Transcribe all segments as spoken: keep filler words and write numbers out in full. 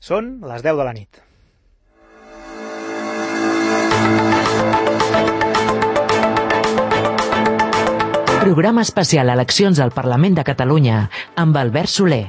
Són les deu de la nit. Programa especial Eleccions al Parlament de Catalunya amb Albert Soler.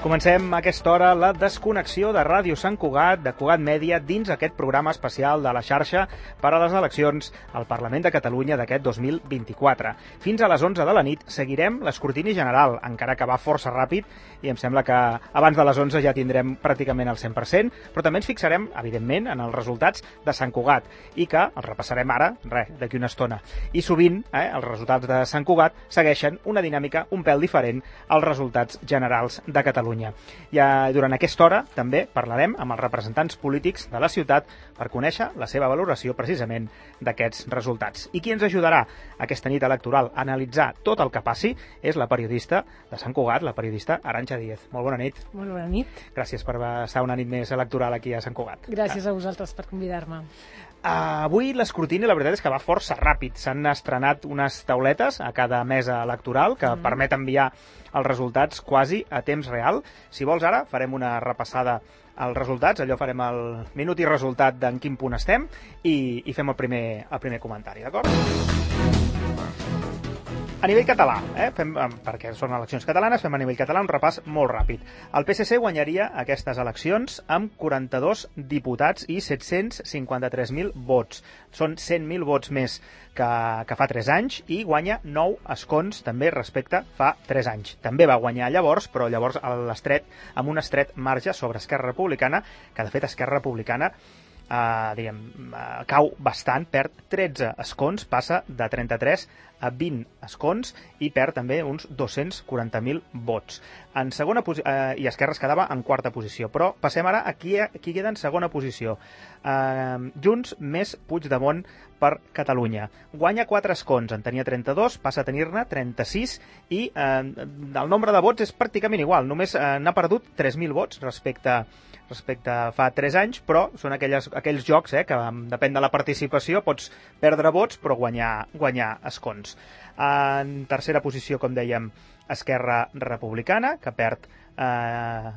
Comencem a aquesta hora la desconnexió de Ràdio Sant Cugat, de Cugat Mèdia, dins aquest programa especial de la xarxa per a les eleccions al Parlament de Catalunya d'aquest dos mil vint-i-quatre. Fins a les onze de la nit seguirem l'escrutini general, encara que va força ràpid, i em sembla que abans de les onze ja tindrem pràcticament el cent per cent, però també ens fixarem, evidentment, en els resultats de Sant Cugat, i que els repassarem ara, res, d'aquí una estona. I sovint, eh, els resultats de Sant Cugat segueixen una dinàmica un pèl diferent als resultats generals de Catalunya. I durant aquesta hora també parlarem amb els representants polítics de la ciutat per conèixer la seva valoració precisament d'aquests resultats. I qui ens ajudarà aquesta nit electoral a analitzar tot el que passi és la periodista de Sant Cugat, la periodista Arantxa Díez. Molt bona nit. Molt bona nit. Gràcies per estar una nit més electoral aquí a Sant Cugat. Gràcies a vosaltres per convidar-me. Uh, avui l'escrutini, la veritat és que va força ràpid. S'han estrenat unes tauletes a cada mesa electoral que mm. permet enviar els resultats quasi a temps real. Si vols ara farem una repassada als resultats, allò farem el minut i resultat d'en quin punt estem i, i fem el primer, el primer comentari, d'acord? A nivell català, eh, fem, perquè són eleccions catalanes, fem a nivell català un repàs molt ràpid. El P S C guanyaria aquestes eleccions amb quaranta-dos diputats i set-cents cinquanta-tres mil vots. Són cent mil vots més que, que fa tres anys i guanya nou escons també respecte fa tres anys. També va guanyar llavors, però llavors a l'estret, amb un estret marge sobre Esquerra Republicana, que de fet Esquerra Republicana Uh, diguem, uh, cau bastant, perd tretze escons, passa de trenta-tres a vint escons i perd també uns dos-cents quaranta mil vots. En segona posi- uh, I Esquerra es quedava en quarta posició, però passem ara a qui, a qui queda en segona posició. Uh, Junts més Puigdemont per Catalunya. Guanya quatre escons, en tenia trenta-dos, passa a tenir-ne trenta-sis i uh, el nombre de vots és pràcticament igual, només uh, n'ha perdut tres mil vots respecte respecte a fa tres anys, però són aquelles, aquells jocs eh, que depèn de la participació, pots perdre vots però guanyar, guanyar escons. En tercera posició, com dèiem, Esquerra Republicana, que perd, eh,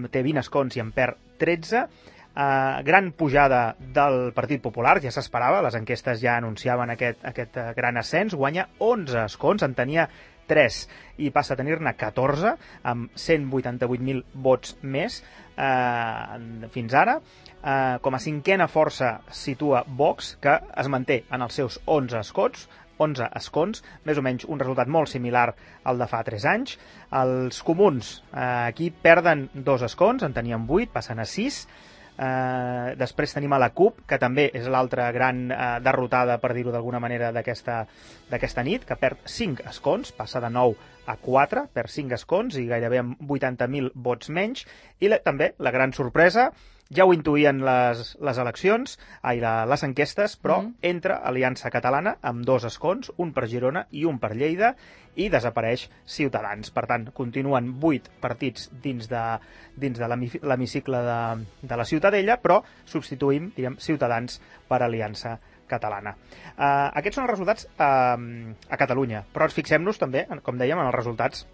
té vint escons i en perd tretze. Uh, gran pujada del Partit Popular, ja s'esperava, les enquestes ja anunciaven aquest, aquest uh, gran ascens, guanya onze escons, en tenia tres i passa a tenir-ne catorze amb cent vuitanta-vuit mil vots més eh, fins ara. Eh, com a cinquena força situa Vox, que es manté en els seus onze escons, onze escons, més o menys un resultat molt similar al de fa tres anys. Els comuns eh, aquí perden dos escons, en tenien vuit, passen a sis. Uh, després tenim a la CUP, que també és l'altra gran uh, derrotada, per dir-ho d'alguna manera, d'aquesta d'aquesta nit, que perd cinc escons, passa de nou a quatre, perd cinc escons i gairebé amb vuitanta mil vots menys. I la, també la gran sorpresa, ja ho intuïen les, les eleccions, ai, la, les enquestes, però mm. entra Aliança Catalana amb dos escons, un per Girona i un per Lleida, i desapareix Ciutadans. Per tant, continuen vuit partits dins de, dins de l'hemicicle de, de la Ciutadella, però substituïm, diguem, Ciutadans per Aliança Catalana. Uh, aquests són els resultats uh, a Catalunya, però ens fixem-nos també, com dèiem, en els resultats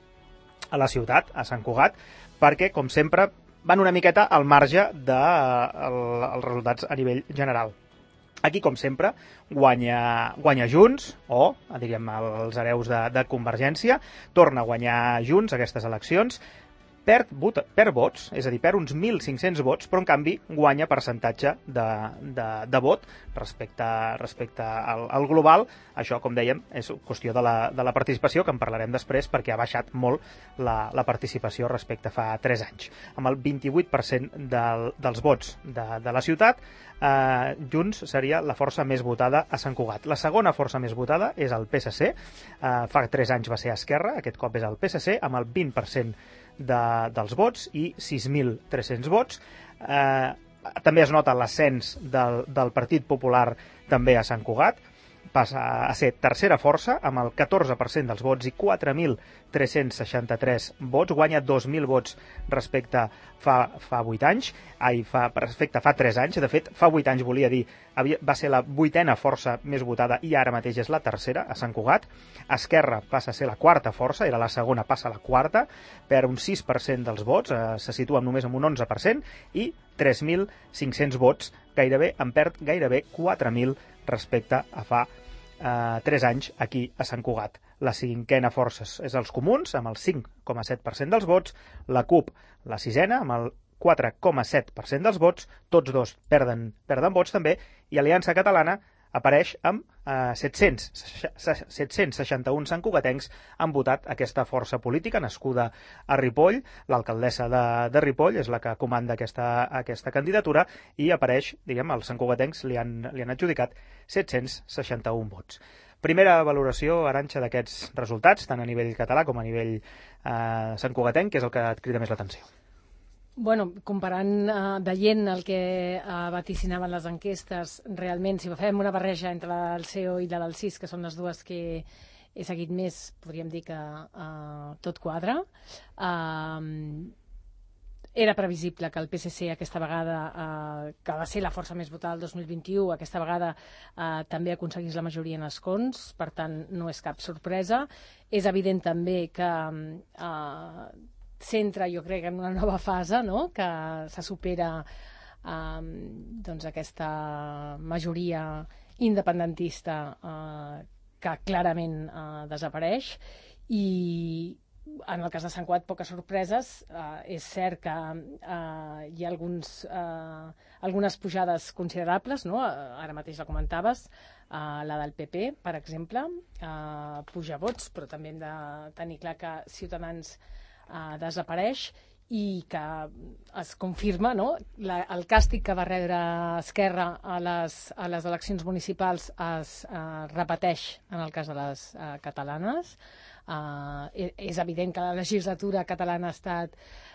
a la ciutat, a Sant Cugat, perquè, com sempre, van una miqueta al marge dels uh, resultats a nivell general. Aquí, com sempre, guanya, guanya Junts, o, diríem, els hereus de, de Convergència, torna a guanyar Junts aquestes eleccions, perd, vot, perd vots, és a dir, perd uns mil cinc-cents vots, però en canvi guanya percentatge de, de, de vot respecte, respecte al, al global. Això, com dèiem, és qüestió de la, de la participació, que en parlarem després, perquè ha baixat molt la, la participació respecte a fa tres anys. Amb el vint-i-vuit per cent del, dels vots de, de la ciutat, eh, Junts seria la força més votada a Sant Cugat. La segona força més votada és el P S C, eh, fa tres anys va ser Esquerra, aquest cop és el P S C, amb el vint per cent de, dels vots i sis mil tres-cents vots. Eh, també es nota l'ascens del, del Partit Popular també a Sant Cugat, passa a ser tercera força amb el catorze per cent dels vots i quatre mil tres-cents seixanta-tres vots, guanya dos mil vots respecte fa, fa vuit anys, ai, fa, per efecte, fa tres anys, de fet, fa vuit anys volia dir, havia, va ser la vuitena força més votada i ara mateix és la tercera, a Sant Cugat. Esquerra passa a ser la quarta força, era la segona, passa a la quarta, per un sis per cent dels vots, eh, se situa només amb un onze per cent, i tres mil cinc-cents vots, gairebé, en perd gairebé quatre mil respecte a fa eh, tres anys aquí a Sant Cugat. La cinquena força és els Comuns, amb el cinc coma set per cent dels vots, la CUP, la sisena, amb el quatre coma set per cent dels vots, tots dos perden, perden vots també, i Aliança Catalana apareix amb eh, set-cents seixanta-un santcugatencs han votat aquesta força política nascuda a Ripoll. L'alcaldessa de, de Ripoll és la que comanda aquesta, aquesta candidatura i apareix, diguem, els santcugatencs li han, li han adjudicat set-cents seixanta-un vots. Primera valoració, Arantxa, d'aquests resultats, tant a nivell català com a nivell eh, santcugatenc, que és el que et crida més l'atenció. Bueno, comparant, eh, veient el que eh, vaticinaven les enquestes, realment, si fem una barreja entre la del C E O i la del C I S, que són les dues que he seguit més, podríem dir que eh, tot quadra. Eh, Era previsible que el P S C aquesta vegada, eh, que va ser la força més votada el dos mil vint-i-u, aquesta vegada eh, també aconseguís la majoria en escons, per tant no és cap sorpresa. És evident també que eh, s'entra, jo crec, en una nova fase, no? Que se supera eh, doncs aquesta majoria independentista eh, que clarament eh, desapareix, i en el cas de Sant Cugat, poques sorpreses. Eh, és cert que eh, hi ha alguns, eh, algunes pujades considerables, no? Ara mateix la comentaves, eh, la del P P, per exemple, eh, puja vots, però també hem de tenir clar que Ciutadans eh, desapareix i que es confirma, no? La, el càstig que va rebre Esquerra a les, a les eleccions municipals es eh, repeteix en el cas de les eh, catalanes. Uh, és evident que la legislatura catalana ha estat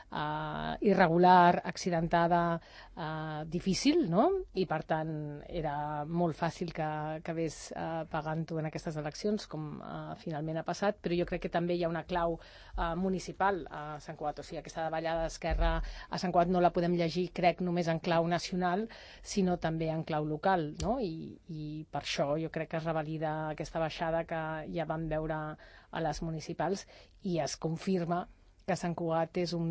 uh, irregular, accidentada, uh, difícil, no? I per tant era molt fàcil que acabés uh, pagant-ho en aquestes eleccions, com uh, finalment ha passat, però jo crec que també hi ha una clau uh, municipal a Sant Cugat, o sigui, aquesta davallada d'Esquerra a Sant Cugat no la podem llegir, crec, només en clau nacional, sinó també en clau local, no? I, i per això jo crec que es revalida aquesta baixada que ja vam veure a les municipals, i es confirma que Sant Cugat és un,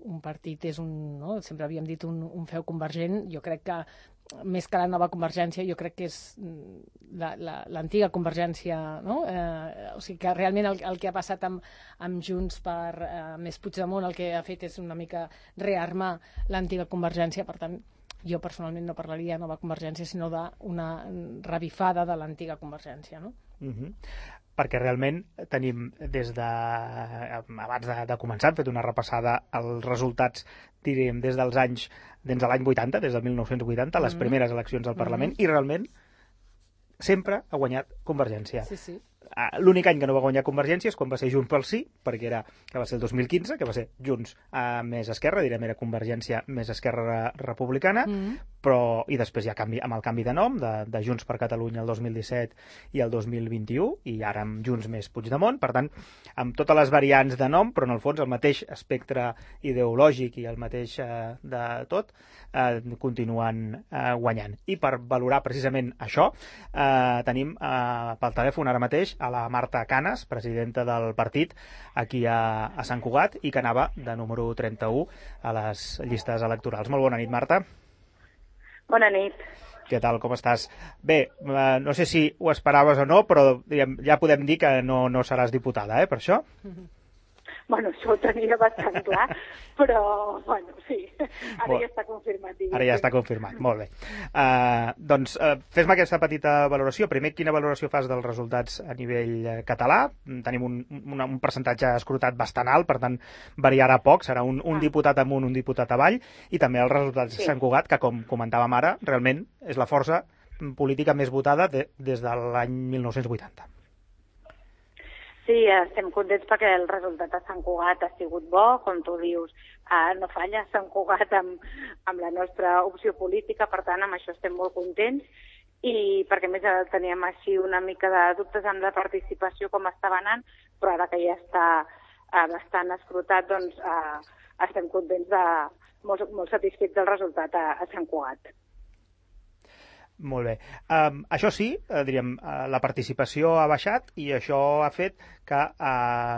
un partit, és un, no? Sempre havíem dit un, un feu convergent. Jo crec que més que la nova Convergència, jo crec que és l'antiga la, Convergència, no? Eh, o sigui que realment el, el que ha passat amb, amb Junts per eh, més Puigdemont, el que ha fet és una mica rearmar l'antiga Convergència. Per tant, jo personalment no parlaria de nova Convergència, sinó d'una revifada de l'antiga Convergència, no? Mhm. Perquè realment tenim des de abans de, de començar, hem fet una repassada als resultats, diríem, des dels anys, des de l'any vuitanta, des del mil nou-cents vuitanta, les primeres eleccions al Parlament, i realment sempre ha guanyat Convergència. Sí, sí. L'únic any que no va guanyar Convergència és quan va ser Junts pel Sí, perquè era, que va ser el dos mil quinze, que va ser Junts eh, més Esquerra, direm, era Convergència més Esquerra Republicana, mm. però, i després hi ha canvi, amb el canvi de nom, de, de Junts per Catalunya el dos mil disset i el dos mil vint-i-u, i ara amb Junts més Puigdemont, per tant, amb totes les variants de nom, però en el fons el mateix espectre ideològic i el mateix eh, de tot, eh, continuen eh, guanyant. I per valorar precisament això, eh, tenim eh, pel telèfon ara mateix a la Marta Canes, presidenta del partit aquí a, a Sant Cugat, i que anava de número trenta-u a les llistes electorals. Molt bona nit, Marta. Bona nit. Què tal, com estàs? Bé, eh, no sé si ho esperaves o no, però diguem, ja podem dir que no, no seràs diputada, eh, per això? Bueno, això ho tenia bastant clar, però, bueno, sí, ara bueno, ja està confirmat. Diguem. Ara ja està confirmat, molt bé. Uh, doncs, uh, fes-me aquesta petita valoració. Primer, quina valoració fas dels resultats a nivell català? Tenim un, un, un percentatge escrutat bastant alt, per tant, variarà poc, serà un, un ah. diputat amunt, un diputat avall, i també els resultats sí. de Sant Cugat, que, com comentàvem ara, realment és la força política més votada de, des de l'any mil nou-cents vuitanta. Sí, estem contents perquè el resultat a Sant Cugat ha sigut bo, com tu dius, eh, no falla Sant Cugat amb, amb la nostra opció política, per tant, amb això estem molt contents, i perquè més teníem així una mica de dubtes amb la participació com estava anant, però ara que ja està eh, bastant escrutat, doncs eh, estem contents de, molt, molt satisfets del resultat a, a Sant Cugat. Molt bé. Um, això sí, eh, diríem, eh, la participació ha baixat i això ha fet que a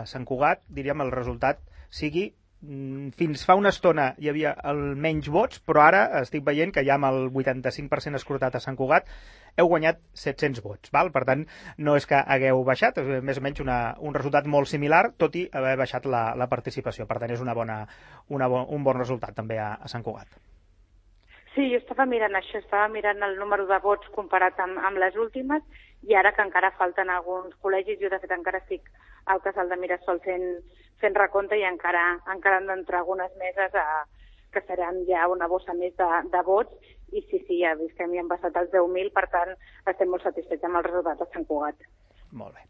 Sant Cugat, diríem, el resultat sigui mm, fins fa una estona hi havia el menys vots, però ara estic veient que ja amb el vuitanta-cinc per cent escrutat a Sant Cugat heu guanyat set-cents vots. Val? Per tant, no és que hagueu baixat, és més o menys una, un resultat molt similar, tot i haver baixat la, la participació. Per tant, és una bona, una bo, un bon resultat també a, a Sant Cugat. Sí, jo estava mirant això, estava mirant el número de vots comparat amb, amb les últimes, i ara que encara falten alguns col·legis, jo de fet encara estic al casal de Mirasol fent, fent recompte i encara, encara han d'entrar algunes meses a, que seran ja una bossa més de, de vots, i sí, sí, ja vist que m'hi han passat els deu mil, per tant estem molt satisfets amb el resultat de Sant Cugat. Molt bé,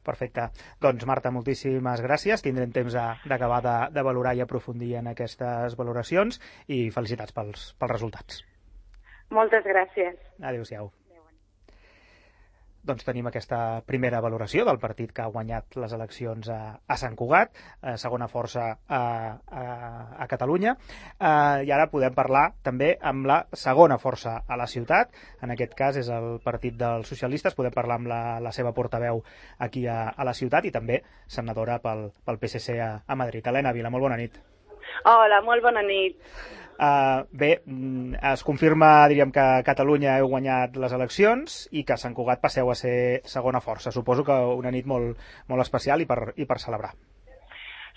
perfecte. Doncs Marta, moltíssimes gràcies. Tindrem temps d'acabar de, de valorar i aprofundir en aquestes valoracions i felicitats pels, pels resultats. Moltes gràcies. Adéu-siau. Doncs tenim aquesta primera valoració del partit que ha guanyat les eleccions a, a Sant Cugat, a segona força a, a, a Catalunya, eh, i ara podem parlar també amb la segona força a la ciutat, en aquest cas és el Partit dels Socialistes, podem parlar amb la, la seva portaveu aquí a, a la ciutat i també senadora pel, pel P S C a, a Madrid. Helena Vila, molt bona nit. Hola, molt bona nit. Uh, bé, es confirma, diríem, que a Catalunya heu guanyat les eleccions i que a Sant Cugat passeu a ser segona força. Suposo que una nit molt, molt especial i per, i per celebrar.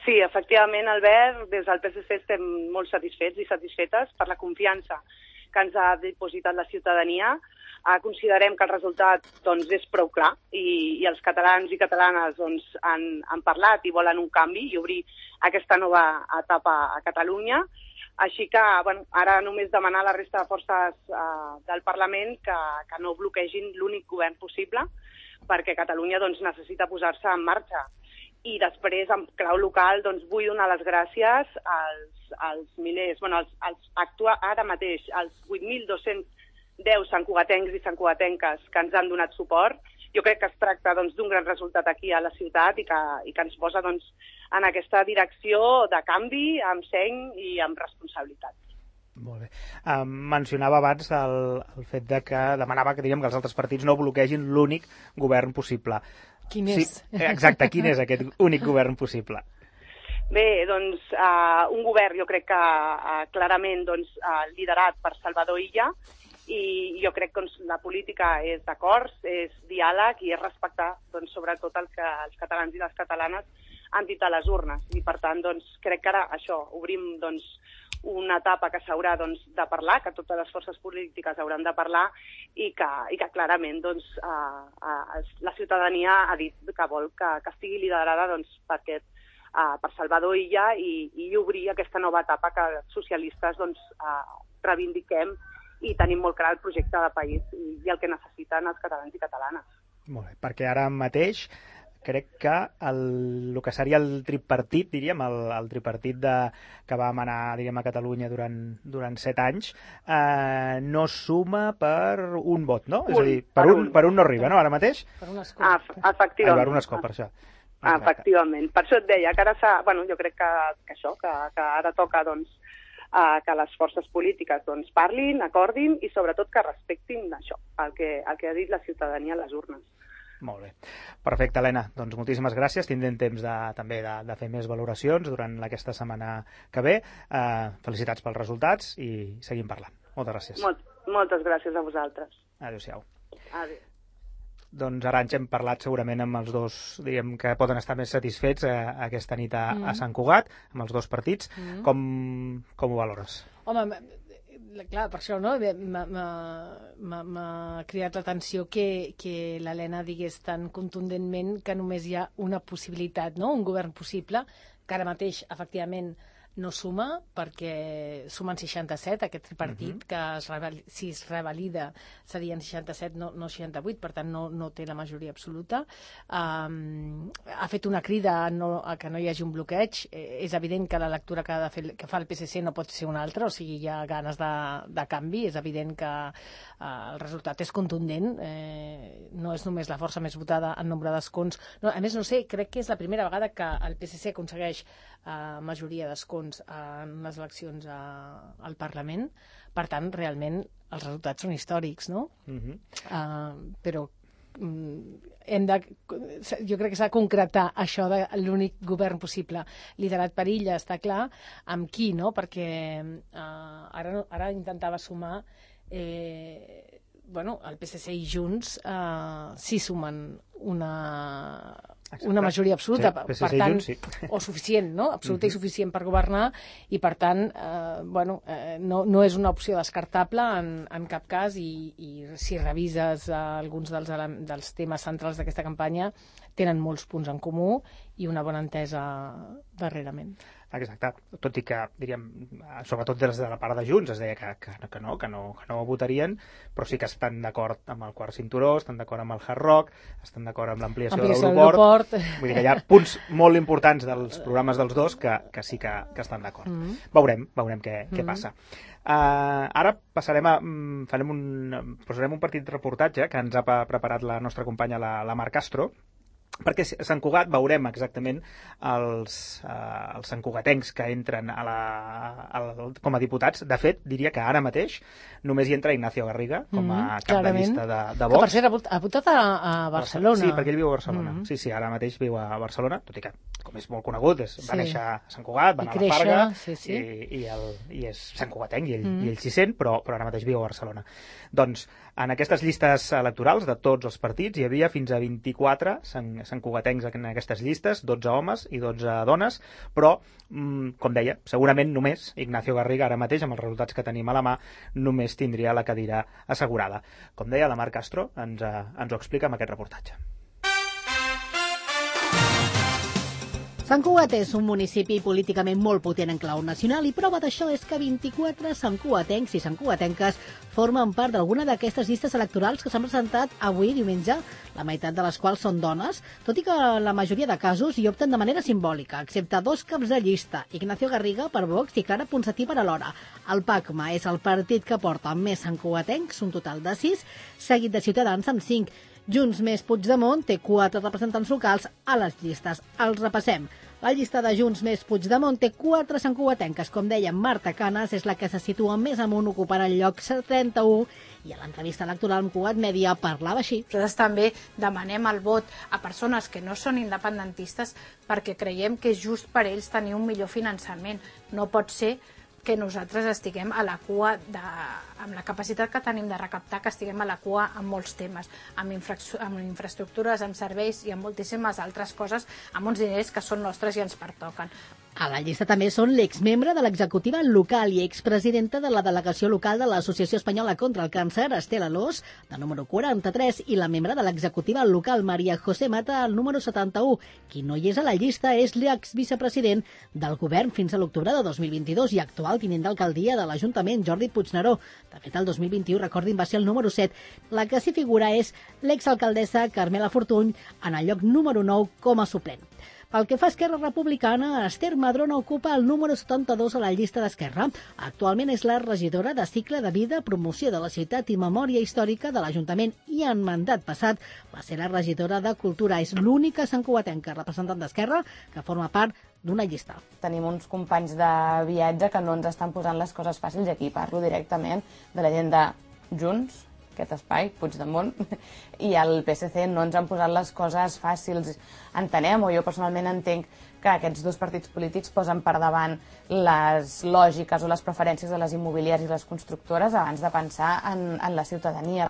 Sí, efectivament, Albert, des del P S C estem molt satisfets i satisfetes per la confiança que ens ha dipositat la ciutadania. Uh, considerem que el resultat doncs, és prou clar i, i els catalans i catalanes doncs, han, han parlat i volen un canvi i obrir aquesta nova etapa a Catalunya. Així que bueno, ara només demanar a la resta de forces uh, del Parlament que, que no bloquegin l'únic govern possible, perquè Catalunya doncs, necessita posar-se en marxa. I després, en clau local, doncs, vull donar les gràcies als, als milers, bueno, als, als actua, ara mateix, als vuit mil dos-cents deu santcugatencs i santcugatenques que ens han donat suport. Jo crec que es tracta doncs, d'un gran resultat aquí a la ciutat i que, i que ens posa doncs, en aquesta direcció de canvi, amb seny i amb responsabilitat. Molt bé. Um, mencionava abans el, el fet de que demanava que, diríem, que els altres partits no bloquegin l'únic govern possible. Quin és? Sí, exacte, quin és aquest únic govern possible? Bé, doncs, uh, un govern jo crec que uh, clarament doncs, uh, liderat per Salvador Illa, i jo crec que doncs, la política és d'acords, és diàleg i és respectar doncs, sobretot el que els catalans i les catalanes han dit a les urnes. I per tant, doncs, crec que ara això, obrim doncs, una etapa que s'haurà doncs, de parlar, que totes les forces polítiques hauran de parlar i que, i que clarament doncs, uh, uh, la ciutadania ha dit que vol que, que estigui liderada doncs, per, aquest, uh, per Salvador Illa i, i obrir aquesta nova etapa que els socialistes doncs, uh, reivindiquem i tenim molt clar el projecte de país i, i el que necessiten els catalans i catalanes. Molt bé, perquè ara mateix crec que el, el que seria el tripartit, diríem, el, el tripartit de, que va manar diríem, a Catalunya durant, durant set anys, eh, no suma per un vot, no? Un, és a dir, per, per, un, un. per un no arriba, no, ara mateix? Per un escó. Ah, efectivament. Ah, per un escó, per això. Ah, efectivament. Per això et deia que ara s'ha... Bueno, jo crec que, que això, que, que ara toca, doncs, Uh, que les forces polítiques doncs, parlin, acordin i sobretot que respectin això, el que, el que ha dit la ciutadania a les urnes. Molt bé. Perfecte, Helena. Doncs moltíssimes gràcies. Tindrem temps de, també de, de fer més valoracions durant aquesta setmana que ve. Uh, felicitats pels resultats i seguim parlant. Moltes gràcies. Molt, moltes gràcies a vosaltres. Adéu-siau. Adéu. Doncs ara ens hem parlat segurament amb els dos, diríem, que poden estar més satisfets eh, aquesta nit a, mm. a Sant Cugat, amb els dos partits. Mm. Com, com ho valores? Home, clar, per això no? M'ha cridat l'atenció que, que l'Helena digués tan contundentment que només hi ha una possibilitat, no? Un govern possible, que ara mateix, efectivament, no suma, perquè sumen seixanta-set, aquest tripartit, uh-huh. que es reval, si es revalida serien seixanta-set, no, no seixanta-vuit, per tant no, no té la majoria absoluta. Um, ha fet una crida a, no, a que no hi hagi un bloqueig. Eh, és evident que la lectura que, ha de fer, que fa el P S C no pot ser una altra, o sigui, hi ha ganes de, de canvi. És evident que uh, el resultat és contundent. Eh, no és només la força més votada en nombre d'escons. No, a més, no sé, crec que és la primera vegada que el P S C aconsegueix uh, majoria d'escons en les eleccions a, al Parlament. Per tant, realment, els resultats són històrics, no? Uh-huh. uh, però hem de, jo crec que s'ha de concretar això de l'únic govern possible liderat per Illa, està clar, amb qui, no? Perquè uh, ara, ara intentava sumar eh, bueno, el P S C i Junts uh, sí sumen una, una majoria absoluta, sí, per tant, Junts, sí. O suficient, no? Absoluta uh-huh. i suficient per governar, i per tant, eh, bueno, eh, no, no és una opció descartable en, en cap cas, i, i si revises eh, alguns dels, dels temes centrals d'aquesta campanya, tenen molts punts en comú i una bona entesa darrerament. Exacte, tot i que, diríem, sobretot des de la part de Junts es deia que, que, que, no, que, no, que no votarien, però sí que estan d'acord amb el quart cinturó, estan d'acord amb el Hard Rock, estan d'acord amb l'ampliació de l'aeroport. Vull dir que hi ha punts molt importants dels programes dels dos que, que sí que, que estan d'acord. Mm-hmm. Veurem, veurem què, mm-hmm. què passa. Uh, ara passarem a, farem un, posarem un petit reportatge que ens ha preparat la nostra companya, la, la Mar Castro, perquè a Sant Cugat veurem exactament els, eh, els santcugatencs que entren a la, a la, com a diputats. De fet, diria que ara mateix només hi entra Ignacio Garriga com a mm, cap de llista de, de Vox. Que per cert ha votat a, a Barcelona. Sí, perquè ell viu a Barcelona. Mm. Sí, sí, ara mateix viu a Barcelona, tot i que, com és molt conegut, és, sí. va néixer a Sant Cugat, va anar a la Farga, sí, sí. I, i, el, i és santcugatenc, i ell, mm. i ell s'hi sent, però, però ara mateix viu a Barcelona. Doncs, en aquestes llistes electorals de tots els partits hi havia fins a vint-i-quatre santcugatencs en aquestes llistes, dotze homes i dotze dones, però, com deia, segurament només Ignacio Garriga, ara mateix, amb els resultats que tenim a la mà, només tindria la cadira assegurada. Com deia, la Mar Castro ens, ens ho explica amb aquest reportatge. Sant Cugat és un municipi políticament molt potent en clau nacional, i prova d'això és que vint-i-quatre santcugatencs i santcugatenques formen part d'alguna d'aquestes llistes electorals que s'han presentat avui diumenge, la meitat de les quals són dones, tot i que la majoria de casos hi opten de manera simbòlica, excepte dos caps de llista, Ignacio Garriga per Vox i Clara Ponsatí per Alhora. El PACMA és el partit que porta més santcugatencs, un total de sis, seguit de Ciutadans amb cinc. Junts més Puigdemont té quatre representants locals a les llistes. Els repassem. La llista de Junts més Puigdemont té quatre santcugatenques. Com deia, Marta Canes és la que se situa més amunt, ocupant el lloc trenta-u, i a l'entrevista electoral amb Cugat Mèdia parlava així. Nosaltres també demanem el vot a persones que no són independentistes perquè creiem que és just per ells tenir un millor finançament. No pot ser que nosaltres estiguem a la cua, de, amb la capacitat que tenim de recaptar, que estiguem a la cua en molts temes, amb, infra, amb infraestructures, amb serveis i amb moltíssimes altres coses, amb uns diners que són nostres i ens pertoquen. A la llista també són l'exmembre de l'executiva local i expresidenta de la delegació local de l'Associació Espanyola contra el Càncer, Estela Lós, de número quaranta-tres, i la membre de l'executiva local, Maria José Mata, el número setanta-u. Qui no hi és a la llista és l'exvicepresident del govern fins a l'octubre de dos mil vint-i-dos i actual tinent d'alcaldia de l'Ajuntament, Jordi Puigneró. De fet, el dos mil vint-i-u, recordin, va ser el número set. La que s'hi figura és l'exalcaldessa Carmela Fortuny, en el lloc número nou com a suplent. Pel que fa a Esquerra Republicana, Esther Madrona ocupa el número setanta-dos a la llista d'Esquerra. Actualment és la regidora de Cicle de Vida, Promoció de la Ciutat i Memòria Històrica de l'Ajuntament, i en mandat passat va ser la regidora de Cultura. És l'única santcugatenca representant d'Esquerra que forma part d'una llista. Tenim uns companys de viatge que no ens estan posant les coses fàcils, i aquí parlo directament de la gent de Junts, aquest espai, Puigdemont, i el P S C no ens han posat les coses fàcils. Entenem, o jo personalment entenc, que aquests dos partits polítics posen per davant les lògiques o les preferències de les immobiliàries i les constructores abans de pensar en, en la ciutadania.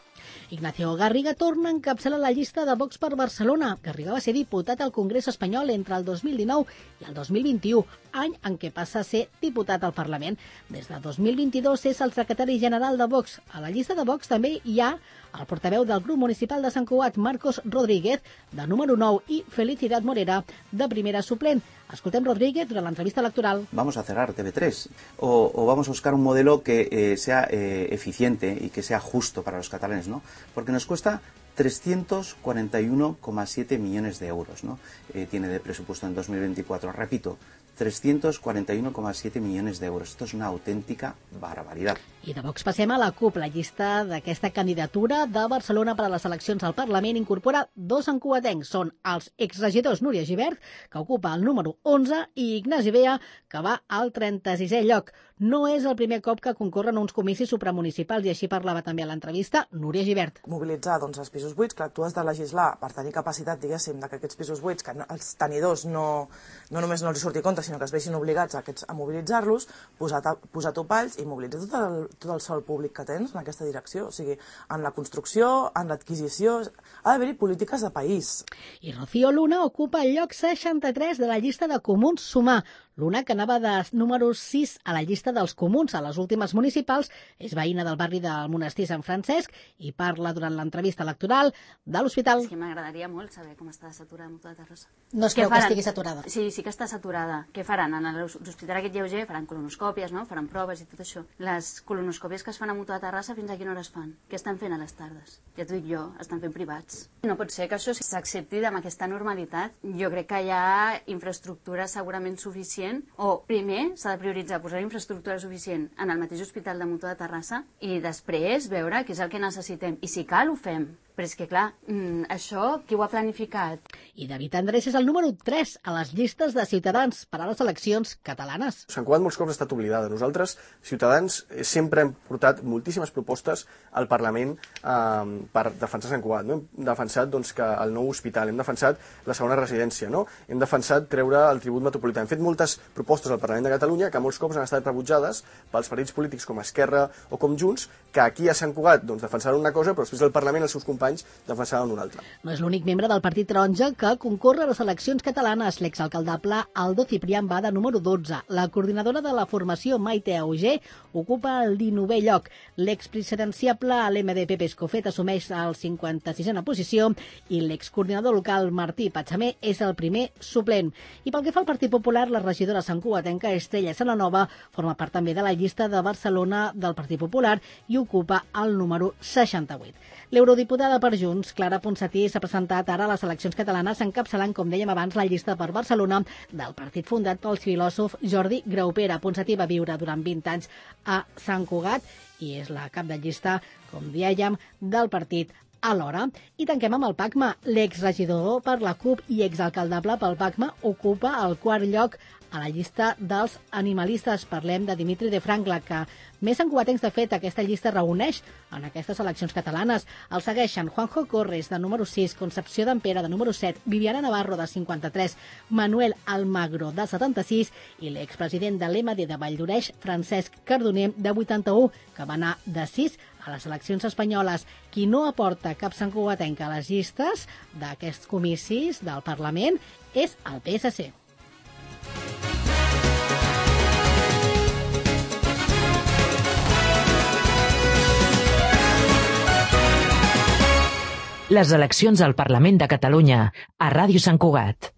Ignacio Garriga torna a encapçalar la llista de Vox per Barcelona. Garriga va ser diputat al Congrés espanyol entre el dos mil dinou i el dos mil vint-i-u, any en què passa a ser diputat al Parlament. Des de dos mil vint-i-dos és el secretari general de Vox. A la llista de Vox també hi ha el portaveu del grup municipal de Sant Cugat, Marcos Rodríguez, de número nou, i Felicidad Morera, de primera suplent. Escoltem Rodríguez durant l'entrevista electoral. Vamos a cerrar T V tres o, o vamos a buscar un modelo que eh, sea eh, eficiente y que sea justo para los catalanes, ¿no? Porque nos cuesta trescientos cuarenta y uno coma siete millones de euros, ¿no? Eh, tiene de presupuesto en dos mil veinticuatro, repito, trescientos cuarenta y uno coma siete millones de euros. Esto es una auténtica barbaridad. I de Vox passem a la CUP. La llista d'aquesta candidatura de Barcelona per a les eleccions al Parlament incorpora dos encuatencs. Són els exregidors Núria Gibert, que ocupa el número onze, i Ignasi Bea, que va al trenta-sisè lloc. No és el primer cop que concorren uns comicis supramunicipals, i així parlava també a l'entrevista Núria Gibert. Mobilitzar doncs, els pisos buits, que tu has de legislar per tenir capacitat, diguéssim, de que aquests pisos buits, que els tenidors no, no només no els surti compte, sinó que es vegin obligats a, aquests, a mobilitzar-los, posar, posar topalls i mobilitzar tot el, tot el sòl públic que tens en aquesta direcció. O sigui, en la construcció, en l'adquisició, ha d'haver-hi polítiques de país. I Rocío Luna ocupa el lloc seixanta-tres de la llista de Comuns Sumar. Luna, que anava de número sis a la llista dels comuns a les últimes municipals, és veïna del barri del Monestir Sant Francesc i parla durant l'entrevista electoral de l'hospital. És que m'agradaria molt saber com està saturada Mutua de Terrassa. No es creu que estigui saturada? Sí, sí que està saturada. Què faran? En l'hospital aquest lleuger faran colonoscòpies, no? Faran proves i tot això. Les colonoscòpies que es fan a Mutua de Terrassa, fins a quina hora es fan? Què estan fent a les tardes? Ja t'ho dic jo, estan fent privats. No pot ser que això s'accepti amb aquesta normalitat. Jo crec que hi ha infraestructura segurament suficient, o primer s'ha de prioritzar posar infraestructura suficient en el mateix hospital de Mutua de Terrassa i després veure què és el que necessitem. I si cal, ho fem. Però és que, clar, mmm, això, qui ho ha planificat? I David Andrés és el número tres a les llistes de Ciutadans per a les eleccions catalanes. Sant Cugat molts cops ha estat oblidada. Nosaltres, Ciutadans, sempre hem portat moltíssimes propostes al Parlament eh, per defensar Sant Cugat. No? Hem defensat doncs, que el nou hospital, hem defensat la segona residència, no? Hem defensat treure el tribut metropolità. Hem fet moltes propostes al Parlament de Catalunya que molts cops han estat rebutjades pels partits polítics com Esquerra o com Junts, que aquí a Sant Cugat doncs, defensaven una cosa, però després del Parlament els seus companys defensaven una altra. No és l'únic membre del Partit Taronja que concorre a les eleccions catalanes. L'exalcaldable Aldo Ciprián va de número dotze. La coordinadora de la formació Maite Auger ocupa el dinovè lloc. L'expresidenciable a l'M D P Pescofet assumeix el cinquanta-sisena posició i l'excoordinador local Martí Patxamé és el primer suplent. I pel que fa al Partit Popular, la regidora santcugatenca Estrella Sananova forma part també de la llista de Barcelona del Partit Popular i ocupa el número seixanta-vuit. L'eurodiputada per Junts, Clara Ponsatí, s'ha presentat ara a les eleccions catalanes encapçalant, com dèiem abans, la llista per Barcelona del partit fundat pel filòsof Jordi Graupera. Ponsatí va viure durant vint anys a Sant Cugat i és la cap de llista, com dèiem, del partit alhora. I tanquem amb el PACMA. L'exregidor per la CUP i exalcaldable pel PACMA ocupa el quart lloc a la llista dels animalistes. Parlem de Dimitri de Frankla, que més encuatencs, de fet, aquesta llista reuneix en aquestes eleccions catalanes. El segueixen Juanjo Corres, de número sis, Concepció d'Ampera, de número set, Viviana Navarro, de cinquanta-tres, Manuel Almagro, de setanta-sis, i l'expresident de l'E M D de Valldoreix, Francesc Cardoner, de vuitanta-u, que va anar de sis a les eleccions espanyoles. Qui no aporta cap santcugatenc a les llistes d'aquests comicis del Parlament és el P S C. Les eleccions al Parlament de Catalunya, a Ràdio Sant Cugat.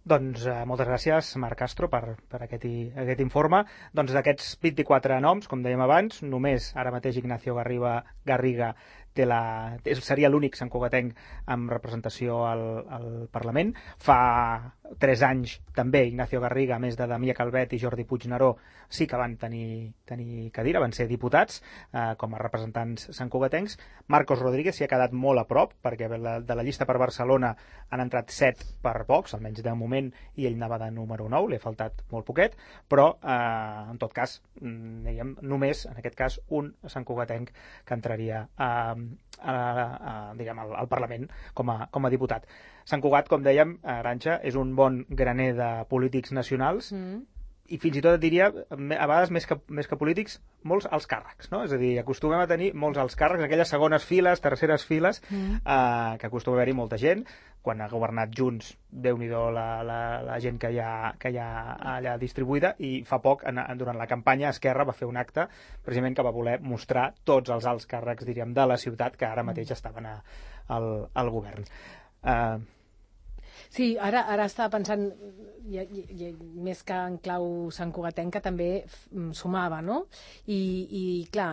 Doncs eh, moltes gràcies, Marc Castro, per, per aquest, i, aquest informe. Doncs d'aquests vint-i-quatre noms, com dèiem abans, només ara mateix Ignacio Garriga, Garriga té la, seria l'únic santcugatenc amb representació al, al Parlament. Fa tres anys també Ignacio Garriga, a més de Damià Calvet i Jordi Puigneró, sí que van tenir, tenir cadira, van ser diputats eh, com a representants santcugatencs. Marcos Rodríguez s'hi ha quedat molt a prop, perquè de la, de la llista per Barcelona han entrat set per Vox, almenys de moment, i ell anava de número nou, li ha faltat molt poquet, però eh, en tot cas, dèiem, només, en aquest cas, un santcugatenc que entraria a, a, a, diguem, al, al Parlament com a, com a diputat. Sant Cugat, com dèiem, Arantxa, és un bon graner de polítics nacionals, mm. i fins i tot et diria, a vegades més que, més que polítics, molts alts càrrecs, no? És a dir, acostumem a tenir molts alts càrrecs, aquelles segones files, terceres files, mm. eh, que acostuma a haver-hi molta gent. Quan ha governat Junts, Déu-n'hi-do la, la, la gent que hi, ha, que hi ha allà distribuïda, i fa poc, en, durant la campanya, Esquerra va fer un acte precisament que va voler mostrar tots els alts càrrecs, diríem, de la ciutat que ara mateix estaven a, al, al govern. Eh, Sí, ara, ara estava pensant, i, i, i, més que en clau santcugatenca, també sumava, no? I, i clar,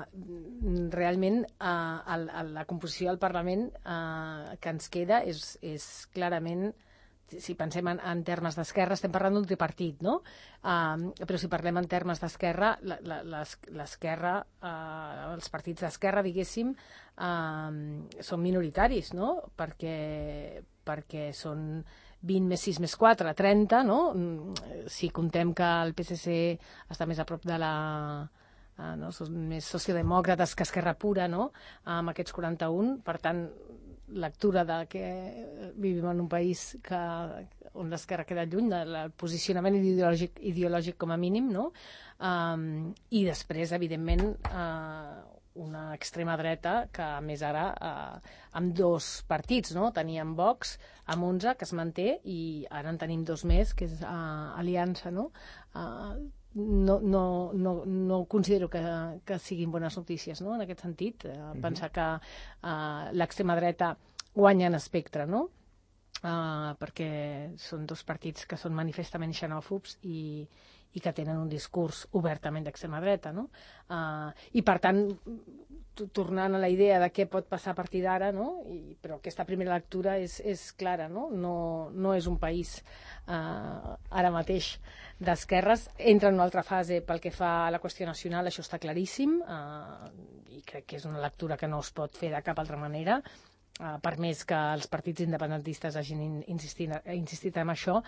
realment eh, el, el, la composició del Parlament eh, que ens queda és, és clarament si pensem en, en termes d'esquerra, estem parlant d'un tripartit, no? Uh, però si parlem en termes d'esquerra, l'esquerra, uh, els partits d'esquerra, diguéssim, uh, són minoritaris, no? Perquè, perquè són vint més sis més quatre, trenta, no? Si contem que el P S C està més a prop de la... Uh, no? Són més sociodemòcrates que Esquerra Pura, no? Amb aquests quaranta-un, per tant, lectura de que vivim en un país que, on l'esquerra queda lluny del posicionament ideològic, ideològic com a mínim, no? Um, I després, evidentment, uh, una extrema dreta que, a més, ara uh, amb dos partits, no? Teníem Vox amb onze, que es manté, i ara en tenim dos més, que és uh, Aliança, no? Uh, No, no, no, no considero que, que siguin bones notícies, no? En aquest sentit, eh, pensar que eh, l'extrema dreta guanya en espectre, no? Eh, perquè són dos partits que són manifestament xenòfobs i, i que tenen un discurs obertament d'extrema dreta, no? Eh, I, per tant, tornant a la idea de què pot passar a partir d'ara, no? I, però aquesta primera lectura és, és clara, no? No, no és un país eh, ara mateix d'esquerres, entra en una altra fase pel que fa a la qüestió nacional, això està claríssim, eh, i crec que és una lectura que no es pot fer de cap altra manera, eh, per més que els partits independentistes hagin insistit, insistit en això,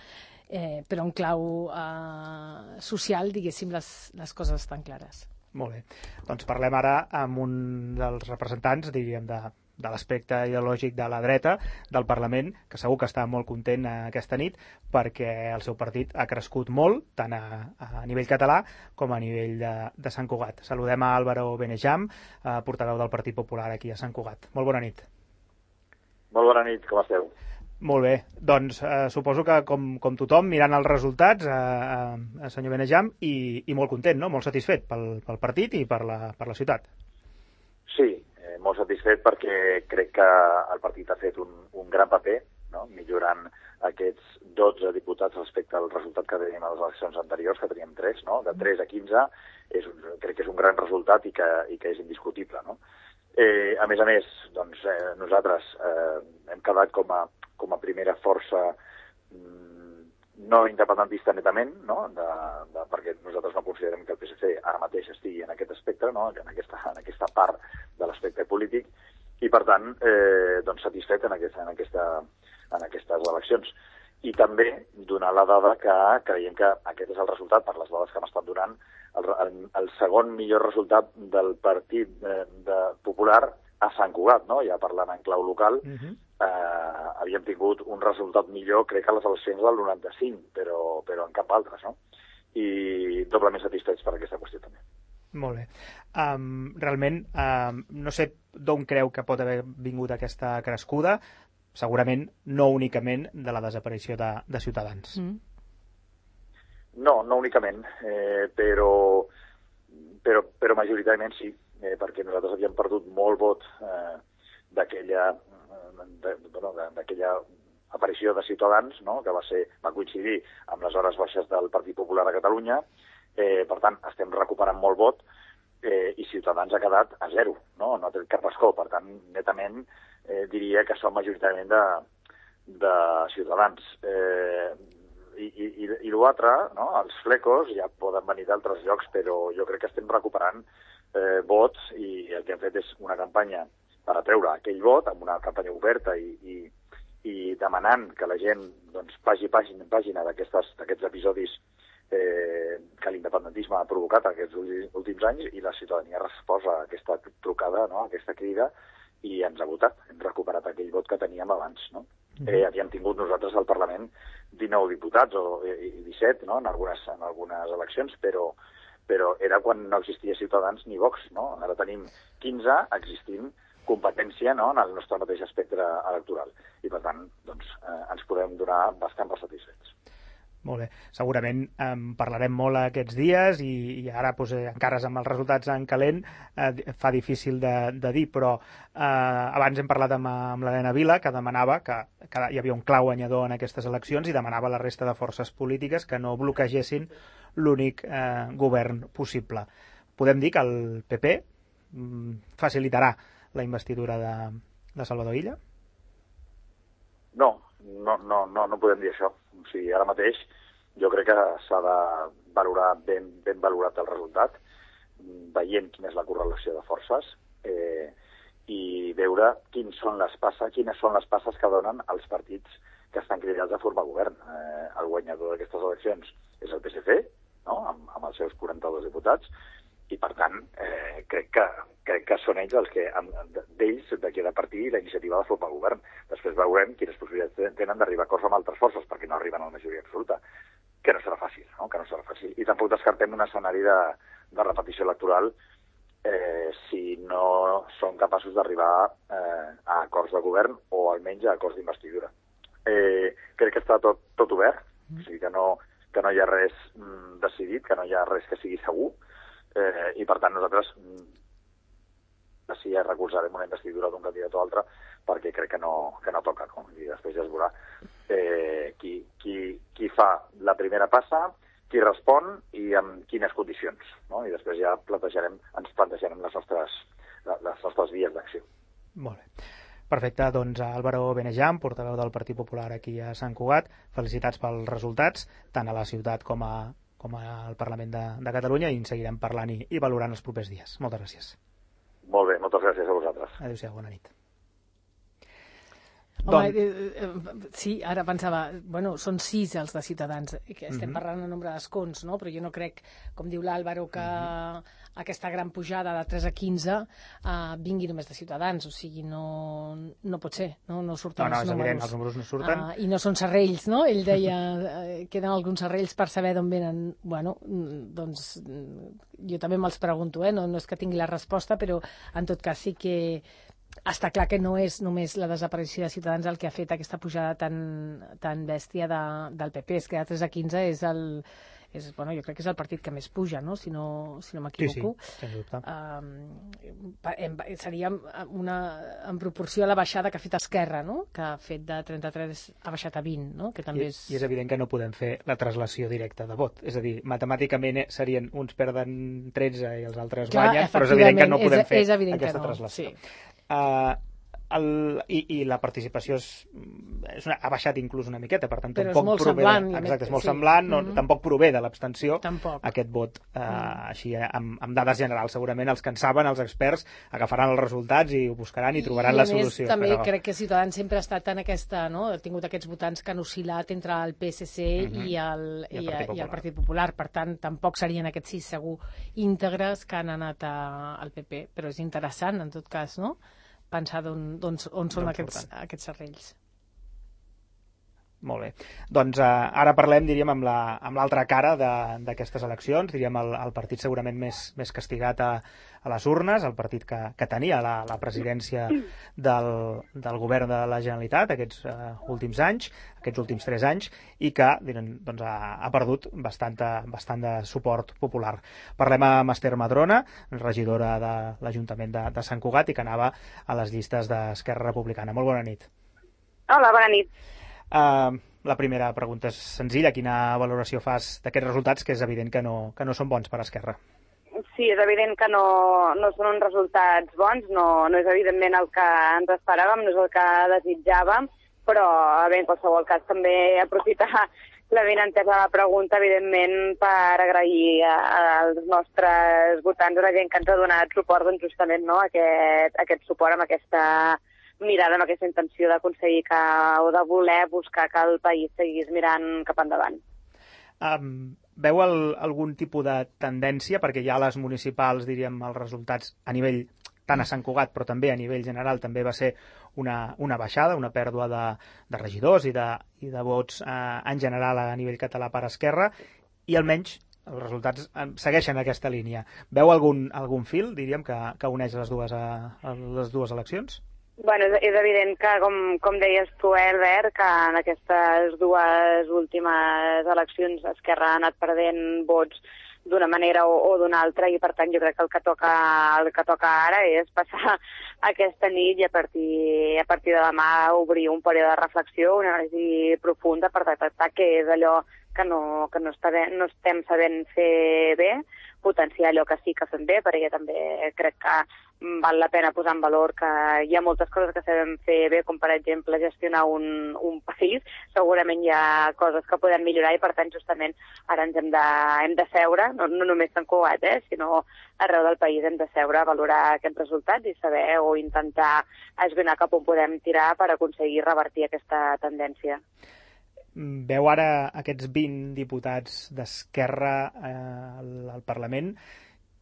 eh, però en clau eh, social, diguéssim, les, les coses estan clares. Molt bé. Doncs parlem ara amb un dels representants, diríem, de, de l'aspecte ideològic de la dreta del Parlament, que segur que està molt content aquesta nit perquè el seu partit ha crescut molt, tant a, a nivell català com a nivell de, de Sant Cugat. Saludem a Álvaro Benejam, eh, portaveu del Partit Popular aquí a Sant Cugat. Molt bona nit. Molt bona nit, com esteu? Molt bé, doncs eh, suposo que com, com tothom mirant els resultats, eh, eh, senyor Benejam, i, i molt content, no? Molt satisfet pel, pel partit i per la, per la ciutat. Sí, eh, molt satisfet perquè crec que el partit ha fet un, un gran paper, no? Millorant aquests dotze diputats respecte al resultat que teníem a les eleccions anteriors, que teníem tres, no? De tres a quinze, és un, crec que és un gran resultat i que, i que és indiscutible, no? Eh, a més a més, doncs, eh, nosaltres eh, hem quedat com a, com a primera força mm, no independentista netament, no? De, de, perquè nosaltres no considerem que el P S C ara mateix estigui en aquest aspecte, no? En, aquesta, en aquesta part de l'aspecte polític, i per tant eh, doncs satisfet en, aquesta, en, aquesta, en aquestes eleccions. I també donar la dada que creiem que aquest és el resultat, per les dades que m'estan donant, el, el, el segon millor resultat del Partit de, de Popular a Sant Cugat, no? Ja parlant en clau local, uh-huh. eh, havíem tingut un resultat millor, crec que a les eleccions del noranta-cinc, però, però en cap altre, no? I doblement satisfets per aquesta qüestió també. Molt bé. Um, realment, um, no sé d'on creu que pot haver vingut aquesta crescuda, segurament no únicament de la desaparició de, de Ciutadans. Mm. No, no únicament, eh, però, però, però majoritàriament sí, eh, perquè nosaltres havíem perdut molt vot eh, d'aquella de, bueno, d'aquella aparició de Ciutadans, no? Que va, ser, va coincidir amb les hores baixes del Partit Popular a Catalunya, eh, per tant estem recuperant molt vot, eh, i Ciutadans ha quedat a zero, no? No ha tret cap escó, per tant, netament, Eh, diria que són majoritàriament de, de Ciutadans. Eh, I i, i, i l'altre, no? Els flecos ja poden venir d'altres llocs, però jo crec que estem recuperant eh, vots, i el que hem fet és una campanya per atreure aquell vot, amb una campanya oberta i, i, i demanant que la gent doncs, pagi pàgina, pàgina d'aquests episodis eh, que l'independentisme ha provocat aquests últims anys, i la ciutadania resposa a aquesta trucada, no? A aquesta crida, i ens ha votat, hem recuperat aquell vot que teníem abans, no? Mm. Eh, havíem tingut nosaltres al Parlament dinou diputats o disset, no? En algunes, en algunes eleccions, però, però era quan no existia Ciutadans ni Vox, no? Ara tenim quinze existint competència, no? En el nostre mateix espectre electoral, i per tant doncs, eh, ens podem donar bastant per satisfets. Molt bé. Segurament eh, parlarem molt aquests dies i, i ara pues, eh, encara amb els resultats en calent eh, fa difícil de, de dir, però eh, abans hem parlat amb, amb l'Helena Vila, que demanava que, que hi havia un clau guanyador en aquestes eleccions i demanava a la resta de forces polítiques que no bloquegessin l'únic eh, govern possible. Podem dir que el P P mm, facilitarà la investidura de, de Salvador Illa? No, no, no, no, no podem dir això. O sigui, ara mateix jo crec que s'ha de valorar ben, ben valorat el resultat, veient quina és la correlació de forces eh, i veure quins són les passes, quines són les passes que donen els partits que estan cridats a formar govern. Eh, el guanyador d'aquestes eleccions és el P S C, no? amb, amb els seus quaranta-dos diputats, i per tant eh, crec, que, crec que són ells els que, d'ells, de qui ha de partir la iniciativa de formar govern. Després veurem quines possibilitats tenen d'arribar a acords amb altres forces, perquè no arriben a la majoria absoluta, que no serà fàcil, no? que no serà fàcil. I tampoc descartem un escenari de, de repetició electoral eh, si no són capaços d'arribar eh, a acords de govern o almenys a acords d'investidura. Eh, crec que està tot, tot obert, o sigui que no, que no hi ha res mm, decidit, que no hi ha res que sigui segur, eh, i per tant nosaltres mm, sí recolzarem una investidura d'un candidat o altre perquè crec que no, que no toca, no? I després ja es veurà eh, qui, qui, qui fa la primera passa, qui respon i amb quines condicions, no? I després ja plantejarem, ens plantejarem les nostres, les nostres vies d'acció. Molt bé. Perfecte, doncs Álvaro Benejam, portaveu del Partit Popular aquí a Sant Cugat, felicitats pels resultats, tant a la ciutat com, a, com al Parlament de, de Catalunya, i en seguirem parlant i, i valorant els propers dies. Moltes gràcies. Molt bé, moltes gràcies a vosaltres. Adéu-siau, bona nit. Home, eh, eh, sí, ara pensava, bueno, són sis els de Ciutadans, que estem Mhm. parlant de nombre d'escons, no? Però jo no crec, com diu l'Àlvaro, que Mhm. aquesta gran pujada de tres a quinze eh, vingui només de Ciutadans, o sigui, no, no pot ser, no, no surten No, no, els és números. evident, els números no surten. Uh, I no són serrells, no? Ell deia, eh, queden alguns serrells per saber d'on venen. Bueno, mm, doncs mm, jo també me'ls pregunto, eh? No, no és que tingui la resposta, però en tot cas sí que està clar que no és només la desaparició de Ciutadans el que ha fet aquesta pujada tan, tan bèstia de, del P P, és que de tres a quinze és el, és, bueno, jo crec que és el partit que més puja, no? Si no, si no m'equivoco. Sí, sí, sens dubte. Uh, seria una, en proporció a la baixada que ha fet Esquerra, no? Que ha fet de trenta-tres, ha baixat a vint, no? Que també I, és... I és evident que no podem fer la traslació directa de vot. És a dir, matemàticament serien uns perden tretze i els altres Clar, guanyen, però és evident que no podem és, fer és evident aquesta que no. traslació. Sí. Uh, el, i, i la participació és, és una, ha baixat inclús una miqueta, per tant Però és tampoc molt prové semblant, de, i exacte, és molt sí. semblant, no, Mhm. tampoc prové de l'abstenció Tampoc. aquest vot uh, Mm. així eh, amb, amb dades generals. Segurament els que en saben, els experts, agafaran els resultats i ho buscaran i trobaran I, la a més, solució. també però... crec que Ciutadans sempre ha estat en aquesta, no? Ha tingut aquests votants que han oscil·lat entre el P S C Mhm. i, el, I el i, Partit i el Popular. Partit Popular. Per tant, tampoc serien aquests sis segur íntegres que han anat a, al P P. Però és interessant, en tot cas, no? Pensar d'on, on, on són D'on aquests, surten. aquests serrells. Molt bé. Doncs eh, ara parlem, diríem, amb la- amb l'altra cara de- d'aquestes eleccions, diríem el, el partit segurament més, més castigat a, a les urnes, el partit que, que tenia la, la presidència del, del govern de la Generalitat aquests eh, últims anys, aquests últims tres anys, i que diríem, doncs, ha, ha perdut bastant, bastant de suport popular. Parlem amb Esther Madrona, regidora de l'Ajuntament de, de Sant Cugat i que anava a les llistes d'Esquerra Republicana. Molt bona nit. Hola, bona nit. Uh, la primera pregunta és senzilla. Quina valoració fas d'aquests resultats, que és evident que no, que no són bons per Esquerra? Sí, és evident que no, no són uns resultats bons, no, no és evidentment el que ens esperàvem, no és el que desitjàvem, però bé, en qualsevol cas també aprofitar la benentesa de la pregunta, evidentment, per agrair als nostres votants, a la gent que ens ha donat suport, doncs justament no, aquest, aquest suport amb aquesta mirada, amb aquesta intenció d'aconseguir que, o de voler buscar que el país seguís mirant cap endavant. Um, veu el, algun tipus de tendència, perquè ja a les municipals, diríem, els resultats a nivell tant a Sant Cugat, però també a nivell general també va ser una, una baixada, una pèrdua de, de regidors i de, i de vots eh, en general a nivell català per Esquerra, i almenys els resultats segueixen aquesta línia. Veu algun, algun fil, diríem, que, que uneix les dues, a, a les dues eleccions? Bueno, és, és evident que, com, com deies tu, Albert, que en aquestes dues últimes eleccions Esquerra ha anat perdent vots d'una manera o, o d'una altra, i per tant jo crec que el que toca, el que toca ara és passar aquesta nit i a partir, a partir de demà obrir un període de reflexió, una anàlisi profunda per detectar què és allò que no, que no, està bé, no estem sabent fer bé, potenciar allò que sí que fem bé, perquè també crec que val la pena posar en valor que hi ha moltes coses que sabem fer bé, com per exemple gestionar un, un país. Segurament hi ha coses que podem millorar i per tant justament ara ens hem de, hem de seure, no, no només Sant Cugat, eh, sinó arreu del país hem de seure a valorar aquests resultats i saber o intentar esbrinar cap on podem tirar per aconseguir revertir aquesta tendència. Veu ara aquests vint diputats d'Esquerra eh, al, al Parlament,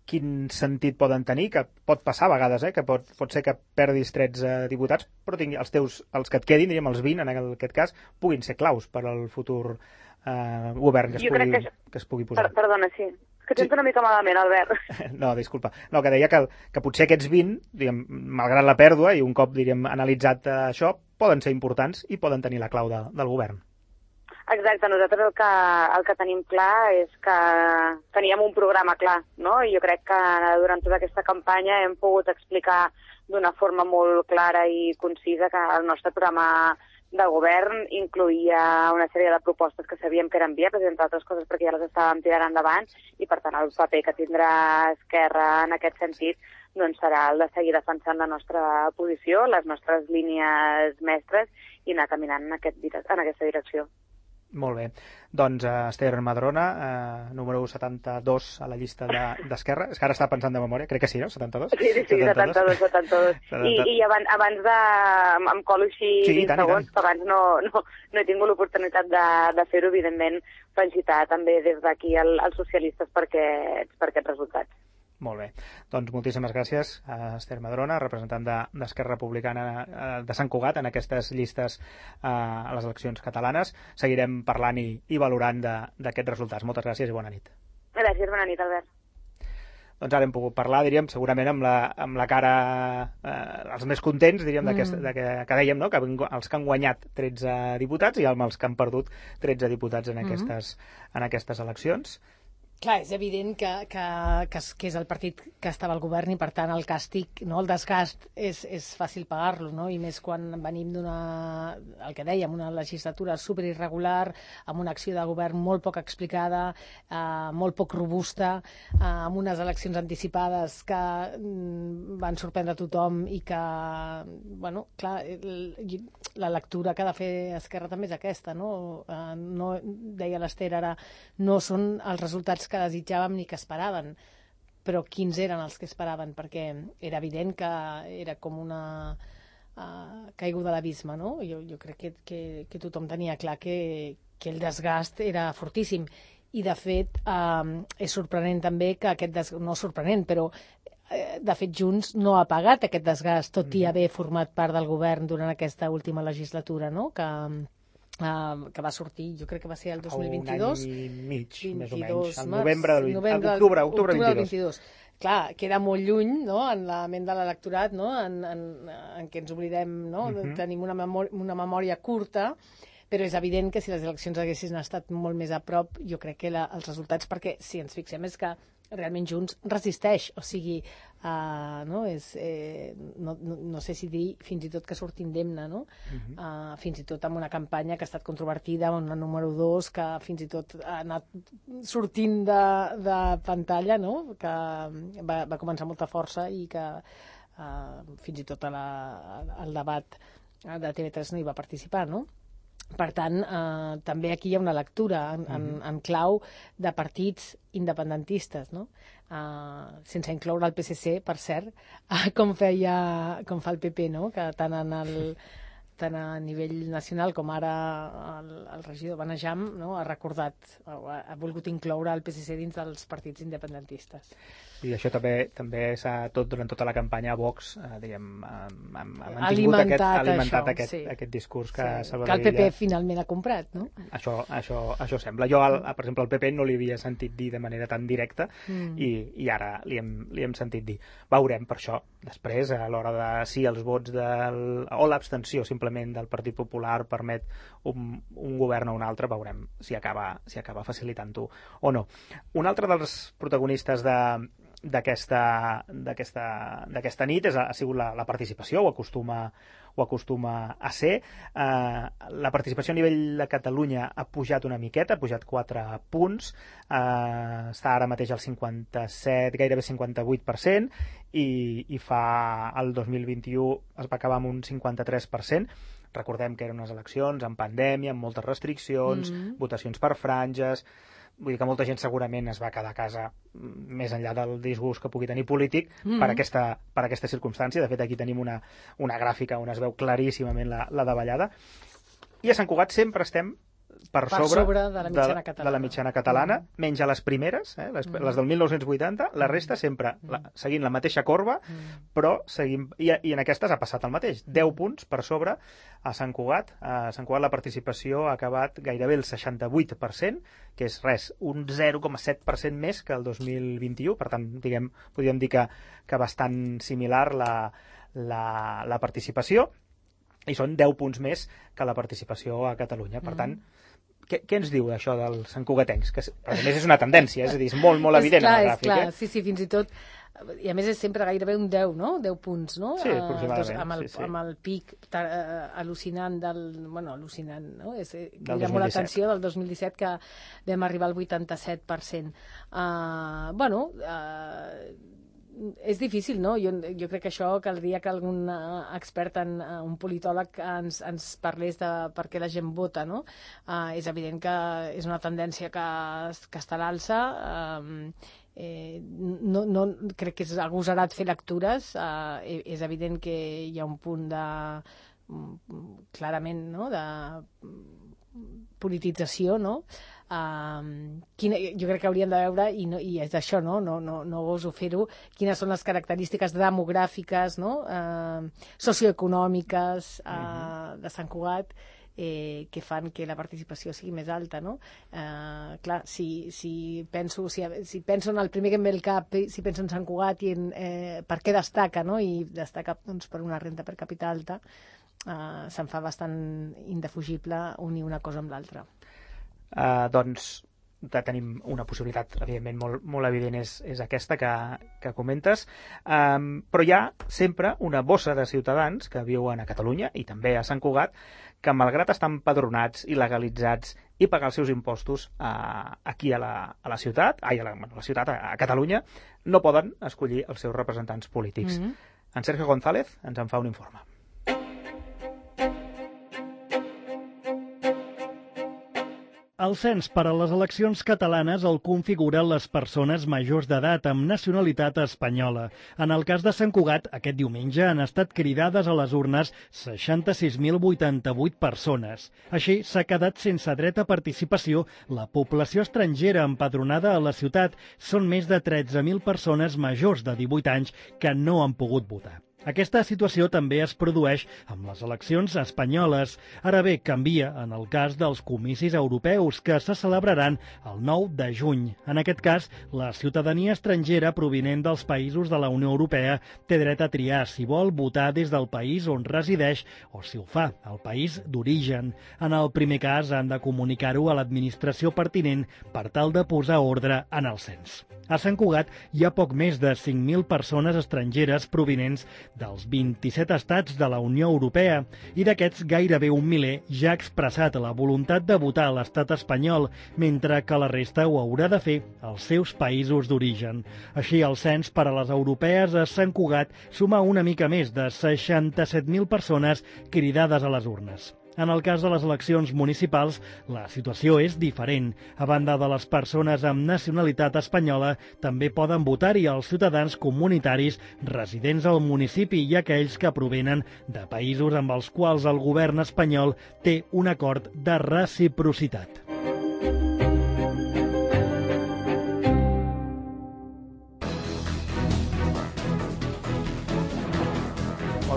quin sentit poden tenir, que pot passar a vegades, eh, que pot, pot ser que perdis tretze diputats, però tingui, els teus, els que et quedin, diríem els vint en aquest cas, puguin ser claus per al futur eh, govern que es, pugui, que, això... que es pugui posar. Per, perdona, sí. És que tens sí. una mica malament, Albert. No, disculpa. No, que deia que, que potser aquests vint, diguem, malgrat la pèrdua, i un cop diríem, analitzat eh, això, poden ser importants i poden tenir la clau de, del govern. Exacte, nosaltres el que, el que tenim clar és que teníem un programa clar, no? I jo crec que durant tota aquesta campanya hem pogut explicar d'una forma molt clara i concisa que el nostre programa de govern incloïa una sèrie de propostes que sabíem que eren viables, entre altres coses perquè ja les estàvem tirant endavant, i per tant el paper que tindrà Esquerra en aquest sentit doncs serà el de seguir defensant la nostra posició, les nostres línies mestres i anar caminant en, aquest, en aquesta direcció. Molt bé. Doncs uh, Esther Madrona, uh, número setanta-dos a la llista d'Esquerra. De, és que ara estava pensant de memòria, crec que sí, no? setanta-dos? Sí, sí, sí, setanta-dos, setanta-dos. I, i abans, abans de... em colo així sí, vint segons, que abans no, no, no he tingut l'oportunitat de, de fer-ho, evidentment, felicitar també des d'aquí als el socialistes per aquests, per aquests resultats. Molt bé. Doncs moltíssimes gràcies a Esther Madrona, representant d'Esquerra Republicana de Sant Cugat en aquestes llistes eh, a les eleccions catalanes. Seguirem parlant i, i valorant d'aquests resultats. Moltes gràcies i bona nit. Gràcies, bona nit, Albert. Doncs ara hem pogut parlar, diríem, segurament amb la, amb la cara eh, els més contents, diríem, mm. de que, que dèiem, no? Que els que han guanyat tretze diputats i els que han perdut tretze diputats en aquestes, mm. en aquestes eleccions. Clar, és evident que, que, que, que és el partit que estava al govern i, per tant, el càstig, no, el desgast, és, és fàcil pagar-lo, no? I més quan venim d'una, el que dèiem, una legislatura superirregular, amb una acció de govern molt poc explicada, eh, molt poc robusta, eh, amb unes eleccions anticipades que mm, van sorprendre tothom i que, bueno, clar, el, la lectura que ha de fer Esquerra també és aquesta, no? Eh, no deia l'Ester ara, no són els resultats que desitjàvem ni que esperaven, però quins eren els que esperaven, perquè era evident que era com una uh, caiguda a l'abisme, no? Jo, jo crec que, que, que tothom tenia clar que, que el desgast era fortíssim, i de fet uh, és sorprenent també que aquest desgast, no sorprenent, però de fet Junts no ha pagat aquest desgast, tot i haver format part del govern durant aquesta última legislatura, no? Que Uh, que va sortir, jo crec que va ser el dos mil vint-i-dos. Un any i mig, vint-i-dos, més o menys. El març, novembre, del, novembre octubre, octubre, octubre vint-i-dos. vint-i-dos. Clar, queda molt lluny, no?, en la ment de l'electorat, no?, en, en, en què ens oblidem, no?, uh-huh. Tenim una memòria, una memòria curta, però és evident que si les eleccions haguessin estat molt més a prop, jo crec que la, els resultats, perquè si ens fixem és que realment Junts resisteix, o sigui, uh, no, és, eh, no, no, no sé si dir fins i tot que surt indemne, no? Uh-huh. uh, fins i tot amb una campanya que ha estat controvertida, una número dos, que fins i tot ha anat sortint de, de pantalla, no? Que va, va començar molta força i que uh, fins i tot a la, al debat de T V tres no hi va participar, no? Per tant, eh, també aquí hi ha una lectura en, en, en clau de partits independentistes, no? Eh, sense incloure el P S C, per cert, eh, com feia, com fa el P P, no? Que tant en el tant a nivell nacional com ara el, el regidor Benejam, no? Ha recordat, ha, ha volgut incloure el P S C dins dels partits independentistes. I això també també s'ha, tot durant tota la campanya a Vox, eh, diguem, ha, ha mantingut aquest, ha alimentat això, aquest, sí. aquest discurs que sí, Salvador que el P P Illa... finalment ha comprat, no? Això, això, això sembla. Jo, al, per exemple, al P P no li havia sentit dir de manera tan directa mm. i, i ara li hem, li hem sentit dir. Veurem per això, després, a l'hora de si els vots del, o l'abstenció simplement del Partit Popular permet un, un govern o un altre, veurem si acaba, si acaba facilitant-ho o no. Un altre dels protagonistes de d'aquesta nit és, ha sigut la, la participació, ho acostuma, ho acostuma a ser. Uh, la participació a nivell de Catalunya ha pujat una miqueta, ha pujat quatre punts, uh, està ara mateix al cinquanta-set, gairebé cinquanta-vuit per cent, i, i fa el dos mil vint-i-u es va acabar amb un cinquanta-tres per cent. Recordem que eren unes eleccions amb pandèmia, amb moltes restriccions, mm-hmm. votacions per franges. Vull dir que molta gent segurament es va quedar a casa més enllà del disgust que pugui tenir polític mm-hmm. per, aquesta, per aquesta circumstància. De fet, aquí tenim una, una gràfica on es veu claríssimament la, la davallada. I a Sant Cugat sempre estem per, per sobre, sobre de la mitjana de, catalana, de la mitjana catalana mm. menys a les primeres, eh, les, mm. les del mil nou-cents vuitanta, la resta sempre la, seguint la mateixa corba, mm. però seguim, i, i en aquestes ha passat el mateix, deu punts per sobre a Sant Cugat. A Sant Cugat la participació ha acabat gairebé el seixanta-vuit per cent, que és res, un zero coma set per cent més que el dos mil vint-i-u, per tant, diguem, podríem dir que, que bastant similar la, la, la participació, i són deu punts més que la participació a Catalunya. Per tant, què, què ens diu això dels santcugatencs? Que, a més, és una tendència, és a dir, és molt, molt evident clar, en el gràfic. És clar, eh? sí, sí, fins i tot, i a més és sempre gairebé un deu, no? deu punts, no? Sí, aproximadament. Uh, amb, el, sí, sí. amb el pic uh, al·lucinant del... Bueno, al·lucinant, no? És, crida molt l'atenció del dos mil disset, que vam arribar al vuitanta-set per cent. Uh, bueno... Uh, és difícil, no? Jo, jo crec que això caldria que algun uh, expert, en, uh, un politòleg, ens, ens parlés de per què la gent vota, no? Uh, és evident que és una tendència que, que està a l'alça. Uh, eh, no, no, crec que és agosarat fer lectures. Uh, és evident que hi ha un punt de... clarament, no?, de politització, no? Uh, quina, jo crec que hauríem de veure, i, no, i és això, no? No, no, no goso fer-ho, quines són les característiques demogràfiques, no? Uh, socioeconòmiques uh, uh-huh. de Sant Cugat, eh, que fan que la participació sigui més alta, no? Uh, clar, si, si, penso, si, si penso en el primer que em ve al cap, si penso en Sant Cugat i en eh, per què destaca, no? I destaca, doncs, per una renda per capita alta, uh, se'n fa bastant indefugible unir una cosa amb l'altra. Uh, doncs tenim una possibilitat, evidentment, molt, molt evident és, és aquesta que, que comentes, um, però hi ha sempre una bossa de ciutadans que viuen a Catalunya i també a Sant Cugat, que malgrat estar empadronats i legalitzats i pagar els seus impostos uh, aquí a la, a la ciutat, ai, a la, a la ciutat, a, a Catalunya, no poden escollir els seus representants polítics. Mm-hmm. En Sergio González ens en fa un informe. El cens per a les eleccions catalanes el configuren les persones majors d'edat amb nacionalitat espanyola. En el cas de Sant Cugat, aquest diumenge han estat cridades a les urnes seixanta-sis mil vuitanta-vuit persones. Així, s'ha quedat sense dret a participació la població estrangera empadronada a la ciutat. Són més de tretze mil persones majors de divuit anys que no han pogut votar. Aquesta situació també es produeix amb les eleccions espanyoles. Ara bé, canvia en el cas dels comicis europeus, que se celebraran el nou de juny. En aquest cas, la ciutadania estrangera provinent dels països de la Unió Europea té dret a triar si vol votar des del país on resideix o, si ho fa, al país d'origen. En el primer cas, han de comunicar-ho a l'administració pertinent per tal de posar ordre en el cens. A Sant Cugat hi ha poc més de cinc mil persones estrangeres provinents dels vint-i-set estats de la Unió Europea, i d'aquests gairebé un miler ja ha expressat la voluntat de votar a l'estat espanyol, mentre que la resta ho haurà de fer als seus països d'origen. Així, el cens per a les europees a Sant Cugat suma una mica més de seixanta-set mil persones cridades a les urnes. En el cas de les eleccions municipals, la situació és diferent. A banda de les persones amb nacionalitat espanyola, també poden votar-hi els ciutadans comunitaris residents al municipi i aquells que provenen de països amb els quals el govern espanyol té un acord de reciprocitat.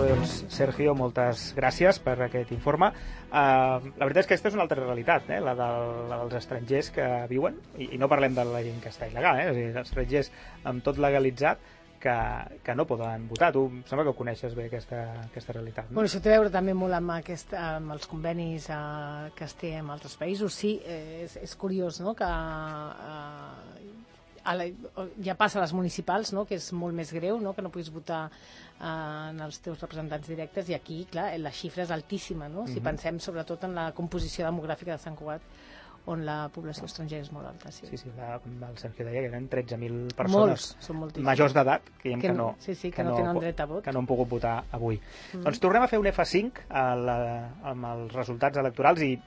Doncs, Sergio, moltes gràcies per aquest informe. Uh, la veritat és que aquesta és una altra realitat, eh? la, del, la dels estrangers que viuen, i, i no parlem de la gent que està il·legal, eh? És a dir, estrangers amb tot legalitzat que, que no poden votar. Tu em sembla que ho coneixes bé, aquesta, aquesta realitat. No? Bueno, això té a veure també molt amb, aquest, amb els convenis uh, que es té amb altres països. Sí, eh, és, és curiós, no?, que uh, a la, ja passa a les municipals, no? Que és molt més greu, no? Que no puguis votar eh, en els teus representants directes, i aquí, clar, la xifra és altíssima, no? Si Mhm. pensem sobretot en la composició demogràfica de Sant Cugat, on la població estrangera és molt alta. Sí, sí, sí la, el Sergio deia que eren tretze mil persones Molts, són moltíssims. majors d'edat que, Que que, no- no, sí, sí, que no tenen dret a vot. que no han pogut votar avui. Mm. Doncs tornem a fer un efa cinc a la, amb els resultats electorals i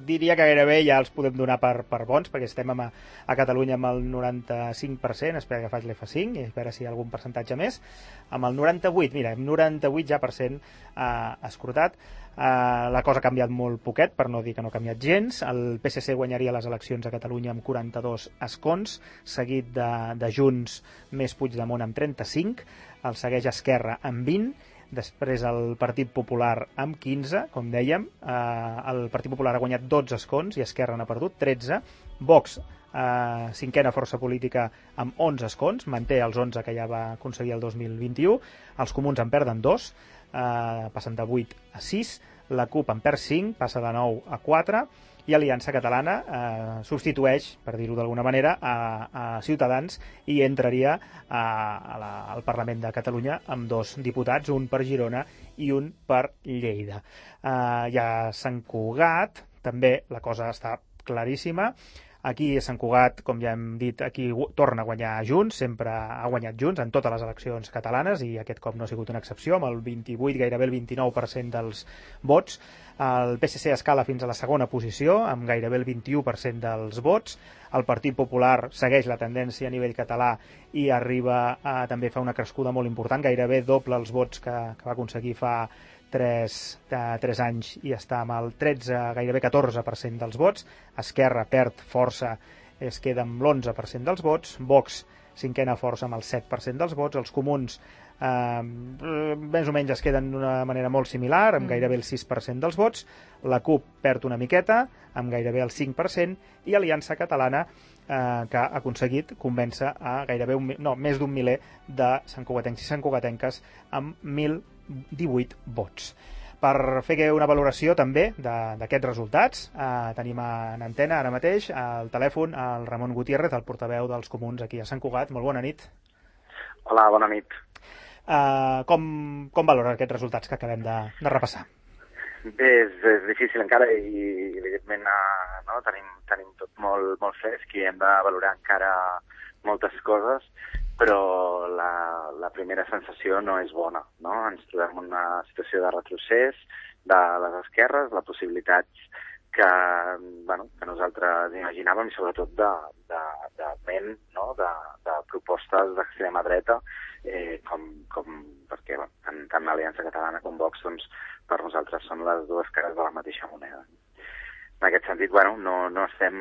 diria que gairebé ja els podem donar per, per bons, perquè estem a, a Catalunya amb el noranta-cinc per cent, espera que faig l'efa cinc i a veure si hi ha algun percentatge més, amb el noranta-vuit, mira, amb noranta-vuit ja per cent eh, escrutat. Uh, la cosa ha canviat molt poquet, per no dir que no ha canviat gens. El P S C guanyaria les eleccions a Catalunya amb quaranta-dos escons, seguit de, de Junts més Puigdemont amb trenta-cinc, el segueix Esquerra amb vint, després el Partit Popular amb quinze, com dèiem, uh, el Partit Popular ha guanyat dotze escons i Esquerra n'ha perdut tretze, Vox, uh, cinquena força política amb onze escons, manté els onze que ja va aconseguir el dos mil vint-i-u, els comuns en perden dos, Uh, passen de vuit a sis, la CUP en perd cinc, passa de nou a quatre, i Aliança Catalana uh, substitueix, per dir-ho d'alguna manera, a, a Ciutadans i entraria a, a la, al Parlament de Catalunya amb dos diputats, un per Girona i un per Lleida. Uh, ja Sant Cugat, també la cosa està claríssima. Aquí a Sant Cugat, com ja hem dit, aquí torna a guanyar Junts, sempre ha guanyat Junts en totes les eleccions catalanes i aquest cop no ha sigut una excepció, amb el vint-i-vuit, gairebé el vint-i-nou per cent dels vots. El P S C escala fins a la segona posició, amb gairebé el vint-i-u per cent dels vots. El Partit Popular segueix la tendència a nivell català i arriba a també fa una crescuda molt important, gairebé doble els vots que, que va aconseguir fa tres, tres anys i està amb el tretze, gairebé catorze per cent dels vots. Esquerra perd força, es queda amb l'onze per cent dels vots. Vox, cinquena força amb el set per cent dels vots. Els comuns eh, més o menys es queden d'una manera molt similar, amb gairebé el sis per cent dels vots. La CUP perd una miqueta, amb gairebé el cinc per cent, i Aliança Catalana, eh, que ha aconseguit convèncer a gairebé un, no, més d'un miler de santcugatencs i santcugatenques amb mil divuit vots. Per fer una valoració també d'aquests resultats, eh, tenim en antena ara mateix al telèfon el Ramon Gutiérrez, el portaveu dels comuns aquí a Sant Cugat. Molt bona nit. Hola, bona nit. Eh, com, com valora aquests resultats que acabem de, de repassar? Bé, és, és difícil encara i, evidentment, eh, no, tenim, tenim tot molt, molt fresc i hem de valorar encara moltes coses, però la, la primera sensació no és bona, no? Ens trobem en una situació de retrocés de les esquerres, la possibilitat que, bueno, que nosaltres imaginàvem, i sobretot de, de, de ment, no? de, de propostes d'extrema dreta, eh, com, com, perquè bueno, tant, tant l'Aliança Catalana com Vox, doncs, per nosaltres són les dues cares de la mateixa moneda. En aquest sentit, bueno, no, no estem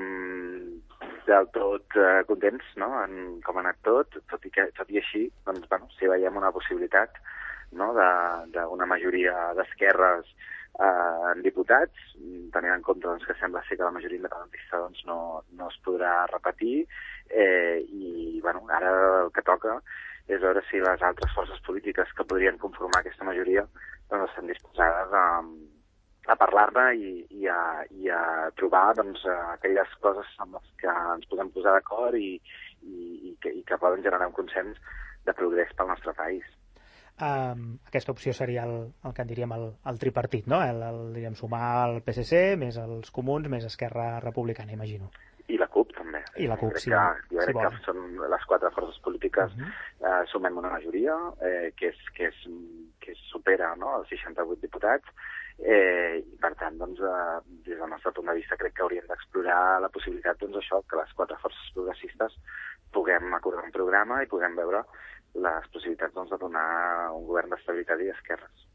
del tot eh, contents, no?, en com ha anat tot, tot i, que, tot i així, doncs, bueno, si veiem una possibilitat, no?, d'una majoria d'esquerres eh, en diputats, tenint en compte doncs, que sembla ser que la majoria independentista doncs, no, no es podrà repetir, eh, i bueno, ara el que toca és veure si les altres forces polítiques que podrien conformar aquesta majoria doncs, estan disposades a a parlar-ne i, i, a, i a trobar doncs, aquelles coses amb les que ens podem posar d'acord i, i, i, que, i que poden generar un consens de progrés pel nostre país. Um, aquesta opció seria el, el que en diríem el, el tripartit, no? El, el, diríem, sumar el P S C, més els comuns, més Esquerra Republicana, imagino. I la CUP, també. I la CUP, crec sí. Que, jo sí, crec bon. que són les quatre forces polítiques, uh -huh. eh, sumem una majoria eh, que, és, que, és, que supera, no?, els seixanta-vuit diputats, eh, i per tant, doncs, eh, des del nostre punt de vista, crec que hauríem d'explorar la possibilitat, doncs, això, que les quatre forces progressistes puguem acordar un programa i puguem veure les possibilitats, doncs, de donar un govern d'estabilitat i d'esquerres.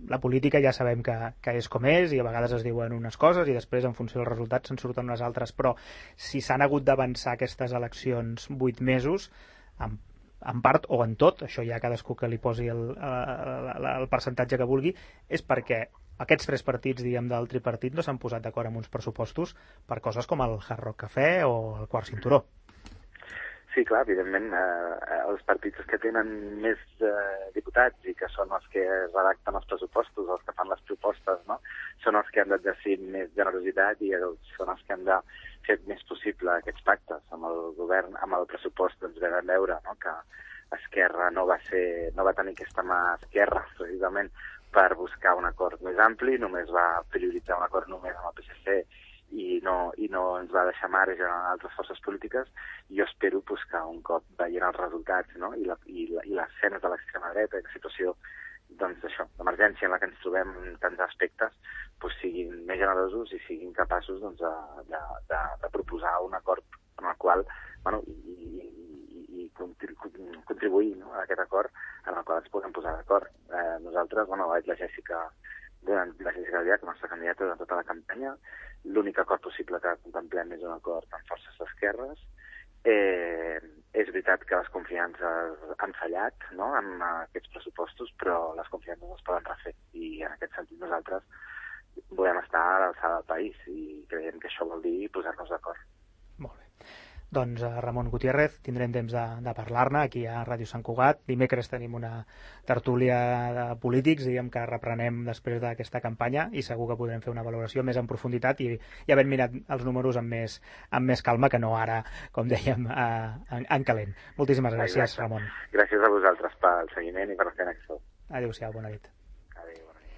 La política ja sabem que, que és com és i a vegades es diuen unes coses i després en funció dels resultats se'n surten unes altres, però si s'han hagut d'avançar aquestes eleccions vuit mesos, en, en part o en tot, això ja cadascú que li posi el, el, el percentatge que vulgui, és perquè aquests tres partits, diguem, del tripartit no s'han posat d'acord amb uns pressupostos per coses com el Hard Rock Cafè o el quart cinturó. Sí, clar, evidentment, eh, els partits que tenen més eh, diputats i que són els que redacten els pressupostos, els que fan les propostes, no? Són els que han d'exercir més generositat i són els que han de fer més possible aquests pactes. Amb el govern, amb el pressupost, ens vam veure, no?, que Esquerra no va ser, no va tenir aquesta mà esquerra, precisament, per buscar un acord més ampli, només va prioritzar un acord només amb el P S C i no, i no ens va deixar marge a altres forces polítiques. Jo espero pues, que un cop veient els resultats, no?, i, la, i, la, i les escenes de l'extrema dreta i la situació doncs, això, d'emergència en la que ens trobem en tants aspectes, pues, siguin més generosos i siguin capaços doncs, de, de, de, de proposar un acord en el qual, bueno, i, i, i contribuir, no?, a aquest acord en el qual ens podem posar d'acord. Eh, nosaltres, bueno, la Jèssica, la Jèssica Albiach, la nostra candidata durant tota la campanya, l'únic acord possible que contemplem és un acord amb forces d'esquerres. Eh, és veritat que les confiances han fallat, no?, en aquests pressupostos, però les confiances es poden refer i en aquest sentit nosaltres volem estar a l'alçada del país i creiem que això vol dir posar-nos d'acord. Molt bé. Doncs a Ramon Gutiérrez tindrem temps de, de parlar-ne aquí a Ràdio Sant Cugat. Dimecres tenim una tertúlia de polítics, diguem que reprenem després d'aquesta campanya i segur que podrem fer una valoració més en profunditat i, i havent mirat els números amb més, amb més calma que no ara, com dèiem, a, en, en calent. Moltíssimes gràcies, Exacte. Ramon. Gràcies a vosaltres pel seguiment i per la feina que feu. Adéu-siau, bona nit. Adéu, bona nit.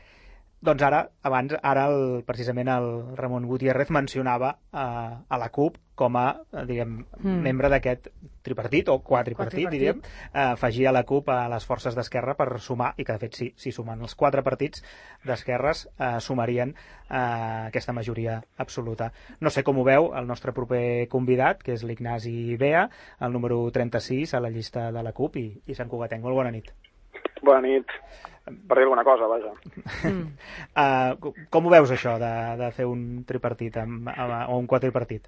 Doncs ara, abans, ara el, precisament el Ramon Gutiérrez mencionava a, a la CUP com a, diguem, mm. membre d'aquest tripartit, o quadripartit, quadripartit. diríem, eh, afegir a la CUP a les forces d'Esquerra per sumar, i que de fet sí, si sumen els quatre partits d'esquerres eh, sumarien eh, aquesta majoria absoluta. No sé com ho veu el nostre proper convidat, que és l'Ignasi Bea, el número trenta-sis a la llista de la CUP i, i Sant Cugatenc. Molt bona nit. Bona nit. Per dir alguna cosa, vaja. Mm. uh, com ho veus, això, de, de fer un tripartit amb, amb, o un quadripartit?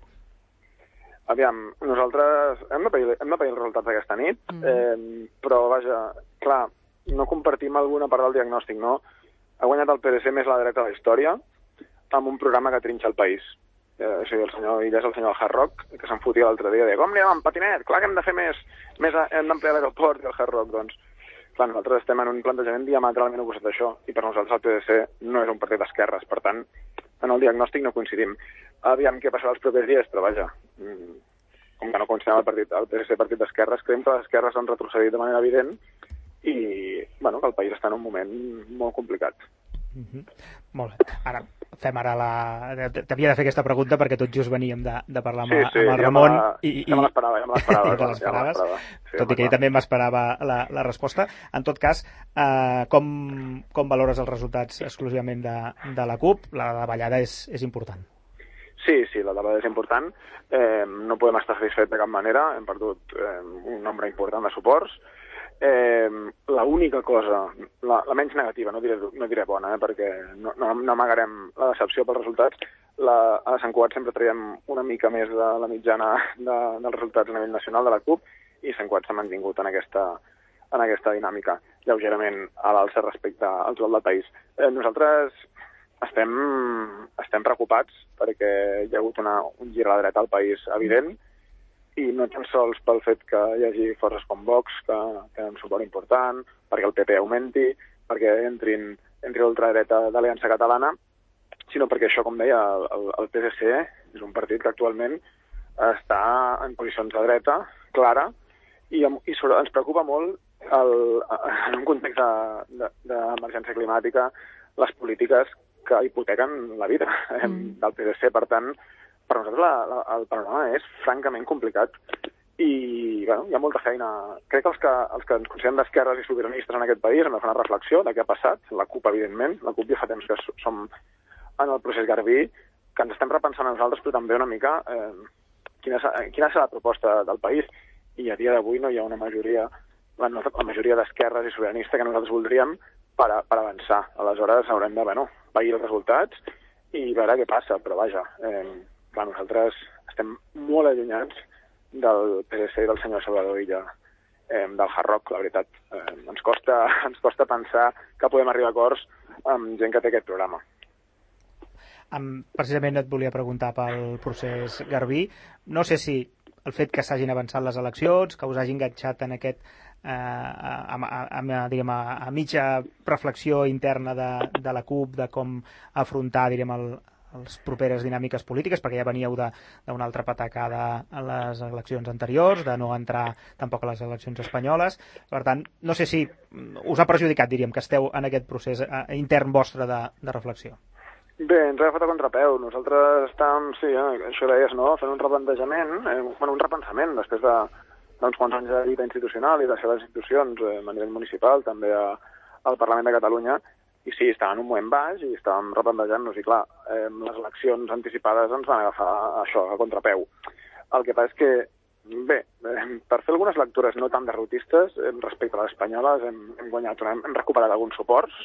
Aviam, nosaltres hem de pair, hem de pair els resultats d'aquesta nit, mm. eh, però, vaja, clar, no compartim alguna part del diagnòstic, no? Ha guanyat el P D C més a la dreta de la història amb un programa que trinxa el país. Eh, o sigui, el senyor Illa és el senyor del Hard Rock, que se'n fotia l'altre dia, de com anem amb patinet? Clar que hem de fer més, més a, hem d'ampliar l'aeroport i el Hard Rock, doncs. Clar, nosaltres estem en un plantejament diametralment oposat a això, i per nosaltres el P D C no és un partit d'esquerres, per tant, en el diagnòstic no coincidim. Aviam què passarà els propers dies, però vaja, com que no coincidim el, partit, el P D C partit d'esquerres, creiem que les esquerres han retrocedit de manera evident i bueno, que el país està en un moment molt complicat. Mm-hmm. Molt bé. Ara fem ara la... T'havia de fer aquesta pregunta perquè tot just veníem de, de parlar amb, sí, sí, amb el Ramon. Ja me, i, i... ja me l'esperava, ja me l'esperava. ja l'esperaves, ja sí, tot i que ell també m'esperava la, la resposta. En tot cas, eh, com, com valores els resultats exclusivament de, de la CUP? La davallada és, és important. Sí, sí, la davallada és important. Eh, no podem estar satisfets de cap manera. Hem perdut eh, un nombre important de suports. Eh, l'única cosa, la, la menys negativa, no diré, no diré bona, eh, perquè no, no, no amagarem la decepció pels resultats, la, a Sant Cugat sempre traiem una mica més de la mitjana de, dels resultats a nivell nacional de la CUP i Sant Cugat s'ha mantingut en aquesta, en aquesta dinàmica, lleugerament a l'alça respecte al total del país. Eh, nosaltres estem, estem preocupats perquè hi ha hagut una, un gir a la dreta al país evident, i no tan sols pel fet que hi hagi forces com Vox, que tenen un suport important, perquè el P P augmenti, perquè entrin, entri l'ultradreta d'Aliança Catalana, sinó perquè això, com deia, el, el P D C és un partit que actualment està en posicions de dreta, clara, i, i sobre, ens preocupa molt el, en un context d'emergència de, de, climàtica les polítiques que hipotequen la vida mm. del P D C. Per tant, per nosaltres la, la, el panorama és francament complicat i bueno, hi ha molta feina. Crec que els que, els que ens considerem d'esquerres i sobiranistes en aquest país hem de fer una reflexió de què ha passat. La CUP, evidentment, la CUP ja fa temps que som en el procés Garbí, que ens estem repensant a nosaltres, però també una mica eh, quina, quina serà la proposta del país. I a dia d'avui no hi ha una majoria, la, la majoria d'esquerres i sobiranista que nosaltres voldríem per, a, per avançar. Aleshores haurem de, bueno, pair els resultats i veure què passa, però vaja... Eh, Clar, nosaltres estem molt allunyats del P D C i del senyor Salvador Illa, eh, del Hard Rock, la veritat. Eh, ens costa, ens costa pensar que podem arribar a acords amb gent que té aquest programa. Um, precisament et volia preguntar pel procés Garbí. No sé si el fet que s'hagin avançat les eleccions, que us hagi enganxat en aquest eh, a, a, a, diguem, a, a mitja reflexió interna de, de la CUP de com afrontar, direm, el, les properes dinàmiques polítiques, perquè ja veníeu d'una altra patacada a les eleccions anteriors, de no entrar tampoc a les eleccions espanyoles. Per tant, no sé si us ha perjudicat, diríem, que esteu en aquest procés eh, intern vostre de, de reflexió. Bé, ens ha agafat a contrapeu. Nosaltres estàvem, sí, eh, això deies, no?, fent un replantejament, eh, bueno, un repensament després de, d'uns quants anys de lluita institucional i de les institucions eh, a nivell municipal, també a, al Parlament de Catalunya. I sí, estàvem en un moment baix i estàvem replantejant-nos i, clar, eh, les eleccions anticipades ens van agafar això, a contrapeu. El que passa és que, bé, eh, per fer algunes lectures no tan derrotistes eh, respecte a les espanyoles hem, hem guanyat, hem, hem recuperat alguns suports.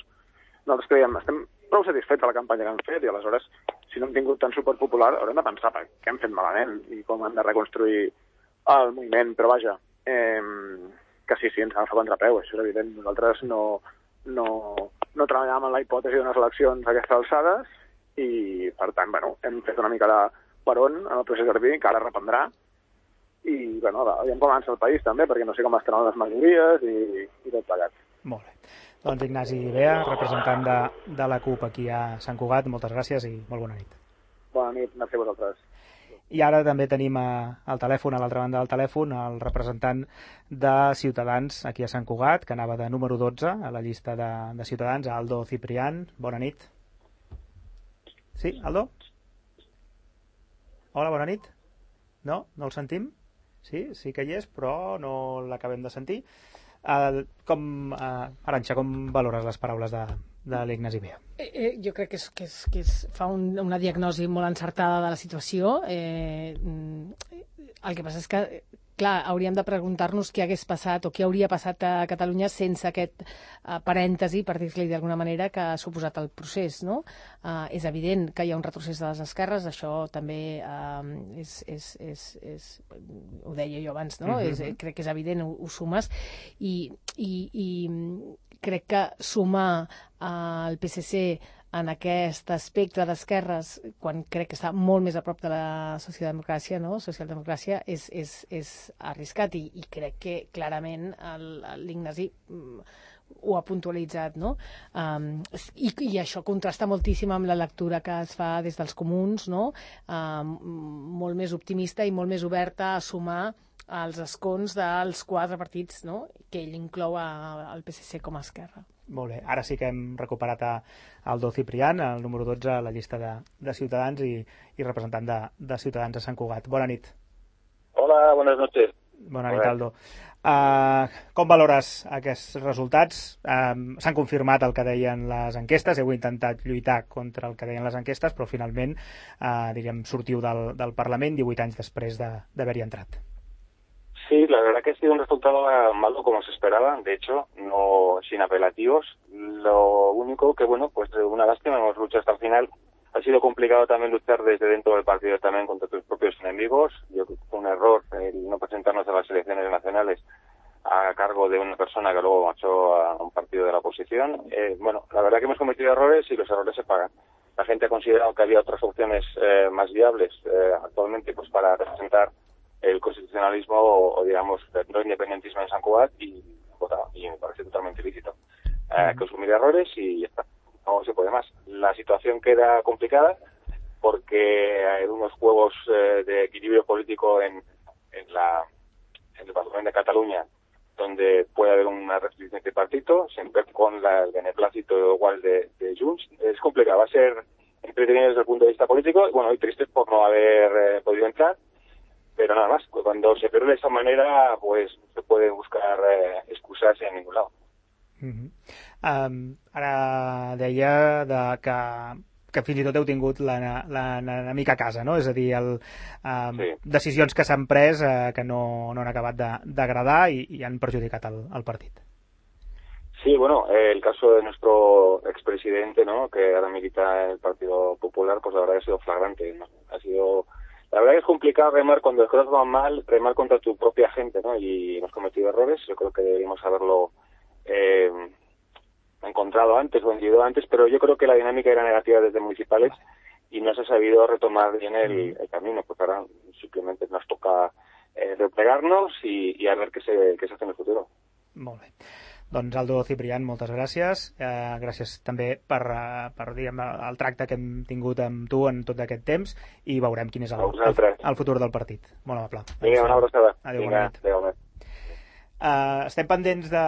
Nosaltres creiem, estem prou satisfets de la campanya que hem fet i aleshores, si no hem tingut tant suport popular, haurem de pensar per què hem fet malament i com hem de reconstruir el moviment. Però vaja, eh, que sí, sí, ens agafa a contrapeu, això és evident. Nosaltres no... no no treballàvem en la hipòtesi d'unes eleccions a aquestes alçades i, per tant, bueno, hem fet una mica de peron en el procés Garbí, que ara reprendrà, i, bueno, veiem com avança el país, també, perquè no sé com estaran les majories i, i tot plegat. Molt bé. Doncs Ignasi Bea, representant de, de la CUP aquí a Sant Cugat, moltes gràcies i molt bona nit. Bona nit, merci a vosaltres. I ara també tenim a, al telèfon, a l'altra banda del telèfon, el representant de Ciutadans aquí a Sant Cugat, que anava de número dotze a la llista de, de Ciutadans, Aldo Ciprián. Bona nit. Sí, Aldo? Hola, bona nit. No? No el sentim? Sí, sí que hi és, però no l'acabem de sentir. Uh, com, uh, Arantxa, com valores les paraules de, de l'Ignasi Bea? Eh, eh, jo crec que, és, que, és, que és, fa un, una diagnosi molt encertada de la situació. Eh, el que passa és que, clar, hauríem de preguntar-nos què hagués passat o què hauria passat a Catalunya sense aquest uh, parèntesi, per dir-li d'alguna manera, que ha suposat el procés, no? Uh, és evident que hi ha un retrocés de les esquerres, això també uh, és, és, és, és, ho deia jo abans, no? Uh-huh. és, crec que és evident, ho, ho sumes, i, i, i crec que sumar al P S C en aquest espectre d'esquerres, quan crec que està molt més a prop de la socialdemocràcia, no? Socialdemocràcia és, és, és arriscat i, i crec que clarament l'Ignasi ho ha puntualitzat, no? Um, i, I això contrasta moltíssim amb la lectura que es fa des dels comuns, no? Um, molt més optimista i molt més oberta a sumar els escons dels quatre partits, no? Que ell inclou al P S C com a esquerra. Molt bé, ara sí que hem recuperat a Aldo Ciprián, el número dotze a la llista de, de Ciutadans i, i representant de, de Ciutadans a Sant Cugat. Bona nit. Hola, buenas noches. Bona nit, Aldo. Uh, com valores aquests resultats? Uh, S'han confirmat el que deien les enquestes, heu intentat lluitar contra el que deien les enquestes, però finalment uh, diríem, sortiu del, del Parlament divuit anys després d'haver-hi entrat. Sí, la verdad que ha sido un resultado malo como se esperaba, de hecho, no sin apelativos. Lo único que, bueno, pues una lástima, hemos luchado hasta el final. Ha sido complicado también luchar desde dentro del partido también contra tus propios enemigos. Yo creo que fue un error el no presentarnos a las elecciones nacionales a cargo de una persona que luego marchó a un partido de la oposición. Eh, bueno, la verdad que hemos cometido errores y los errores se pagan. La gente ha considerado que había otras opciones eh, más viables eh, actualmente pues para representar el constitucionalismo o, o digamos, no independentismo en San Cugat y votado. Y me parece totalmente lícito. Eh, que asumir errores y ya está. No se puede más. La situación queda complicada porque hay unos juegos eh, de equilibrio político en, en, la, en el Parlamento de Cataluña donde puede haber una restricción de partido, siempre con la, el beneplácito igual de, de Junts. Es complicado. Va a ser entretenido desde el punto de vista político. Bueno, y triste por no haber eh, podido entrar. Pero nada más, cuando se pierde de esa manera, pues se puede buscar eh, excusas en ningún lado. Uh-huh. um, ara deia de que, que fins i tot heu tingut l'enemic a casa, no? És a dir, el, um, sí. decisions que s'han pres eh, que no, no han acabat d'agradar i, i han perjudicat el, el partit. Sí, bueno, eh, el caso de nuestro expresidente, ¿no? Que ahora milita en el Partido Popular, pues la verdad que ha sido flagrante, ¿no? Ha sido... La verdad que es complicado remar cuando las cosas van mal, remar contra tu propia gente, ¿no? Y hemos cometido errores. Yo creo que deberíamos haberlo eh, encontrado antes o vendido antes, pero yo creo que la dinámica era negativa desde municipales y no se ha sabido retomar bien el, el camino. Pues ahora simplemente nos toca eh, replegarnos y, y a ver qué se, qué se hace en el futuro. Molt bé. Doncs Aldo Ciprián, moltes gràcies. Eh, gràcies també per, uh, per diguem, el tracte que hem tingut amb tu en tot aquest temps i veurem quin és el, el, el futur del partit. Molt amable. Vinga, una abraçada. Adéu, Vinga, bona nit. adéu, adéu. Uh, estem pendents de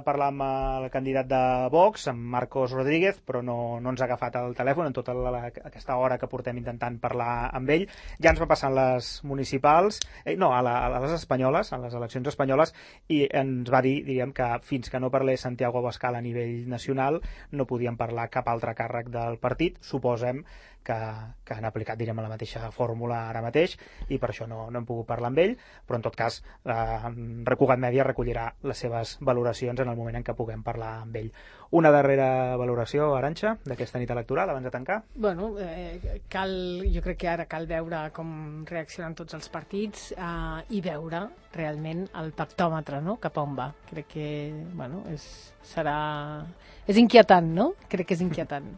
parlar amb el candidat de Vox, amb Marcos Rodríguez, però no, no ens ha agafat el telèfon en tota la, aquesta hora que portem intentant parlar amb ell. Ja ens va passar les municipals, eh, no, a, la, a les espanyoles, a les eleccions espanyoles, i ens va dir, diríem, que fins que no parlés Santiago Abascal a nivell nacional no podien parlar cap altre càrrec del partit. Suposem que, que han aplicat, direm, la mateixa fórmula ara mateix i per això no, no hem pogut parlar amb ell, però en tot cas eh, Recugat Mèdia recollirà les seves valoracions en el moment en què puguem parlar amb ell. Una darrera valoració, Arantxa, d'aquesta nit electoral abans de tancar? Bueno, eh, cal, jo crec que ara cal veure com reaccionen tots els partits eh, i veure realment el pactòmetre, no?, cap on va. Crec que, bueno, és, serà... És inquietant, no? Crec que és inquietant.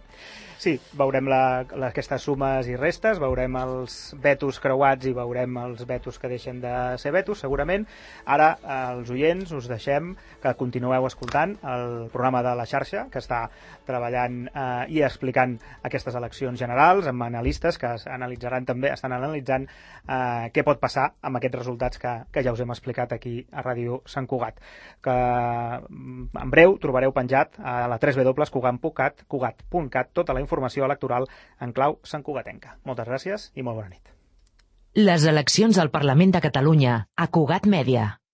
Sí, veurem la, la, aquestes sumes i restes, veurem els vetos creuats i veurem els vetos que deixen de ser vetos, segurament. Ara, els oients, us deixem que continueu escoltant el programa de la xarxa, que està treballant eh, i explicant aquestes eleccions generals, amb analistes que analitzaran també, estan analitzant eh, què pot passar amb aquests resultats que, que ja us hem explicat aquí a Ràdio Sant Cugat. Que en breu trobareu penjat a la w w w punt cugat punt cat, cugat punt cat, tota la informació electoral en clau santcugatenca. Moltes gràcies i molt bona nit. Les eleccions al Parlament de Catalunya a Cugat Mèdia.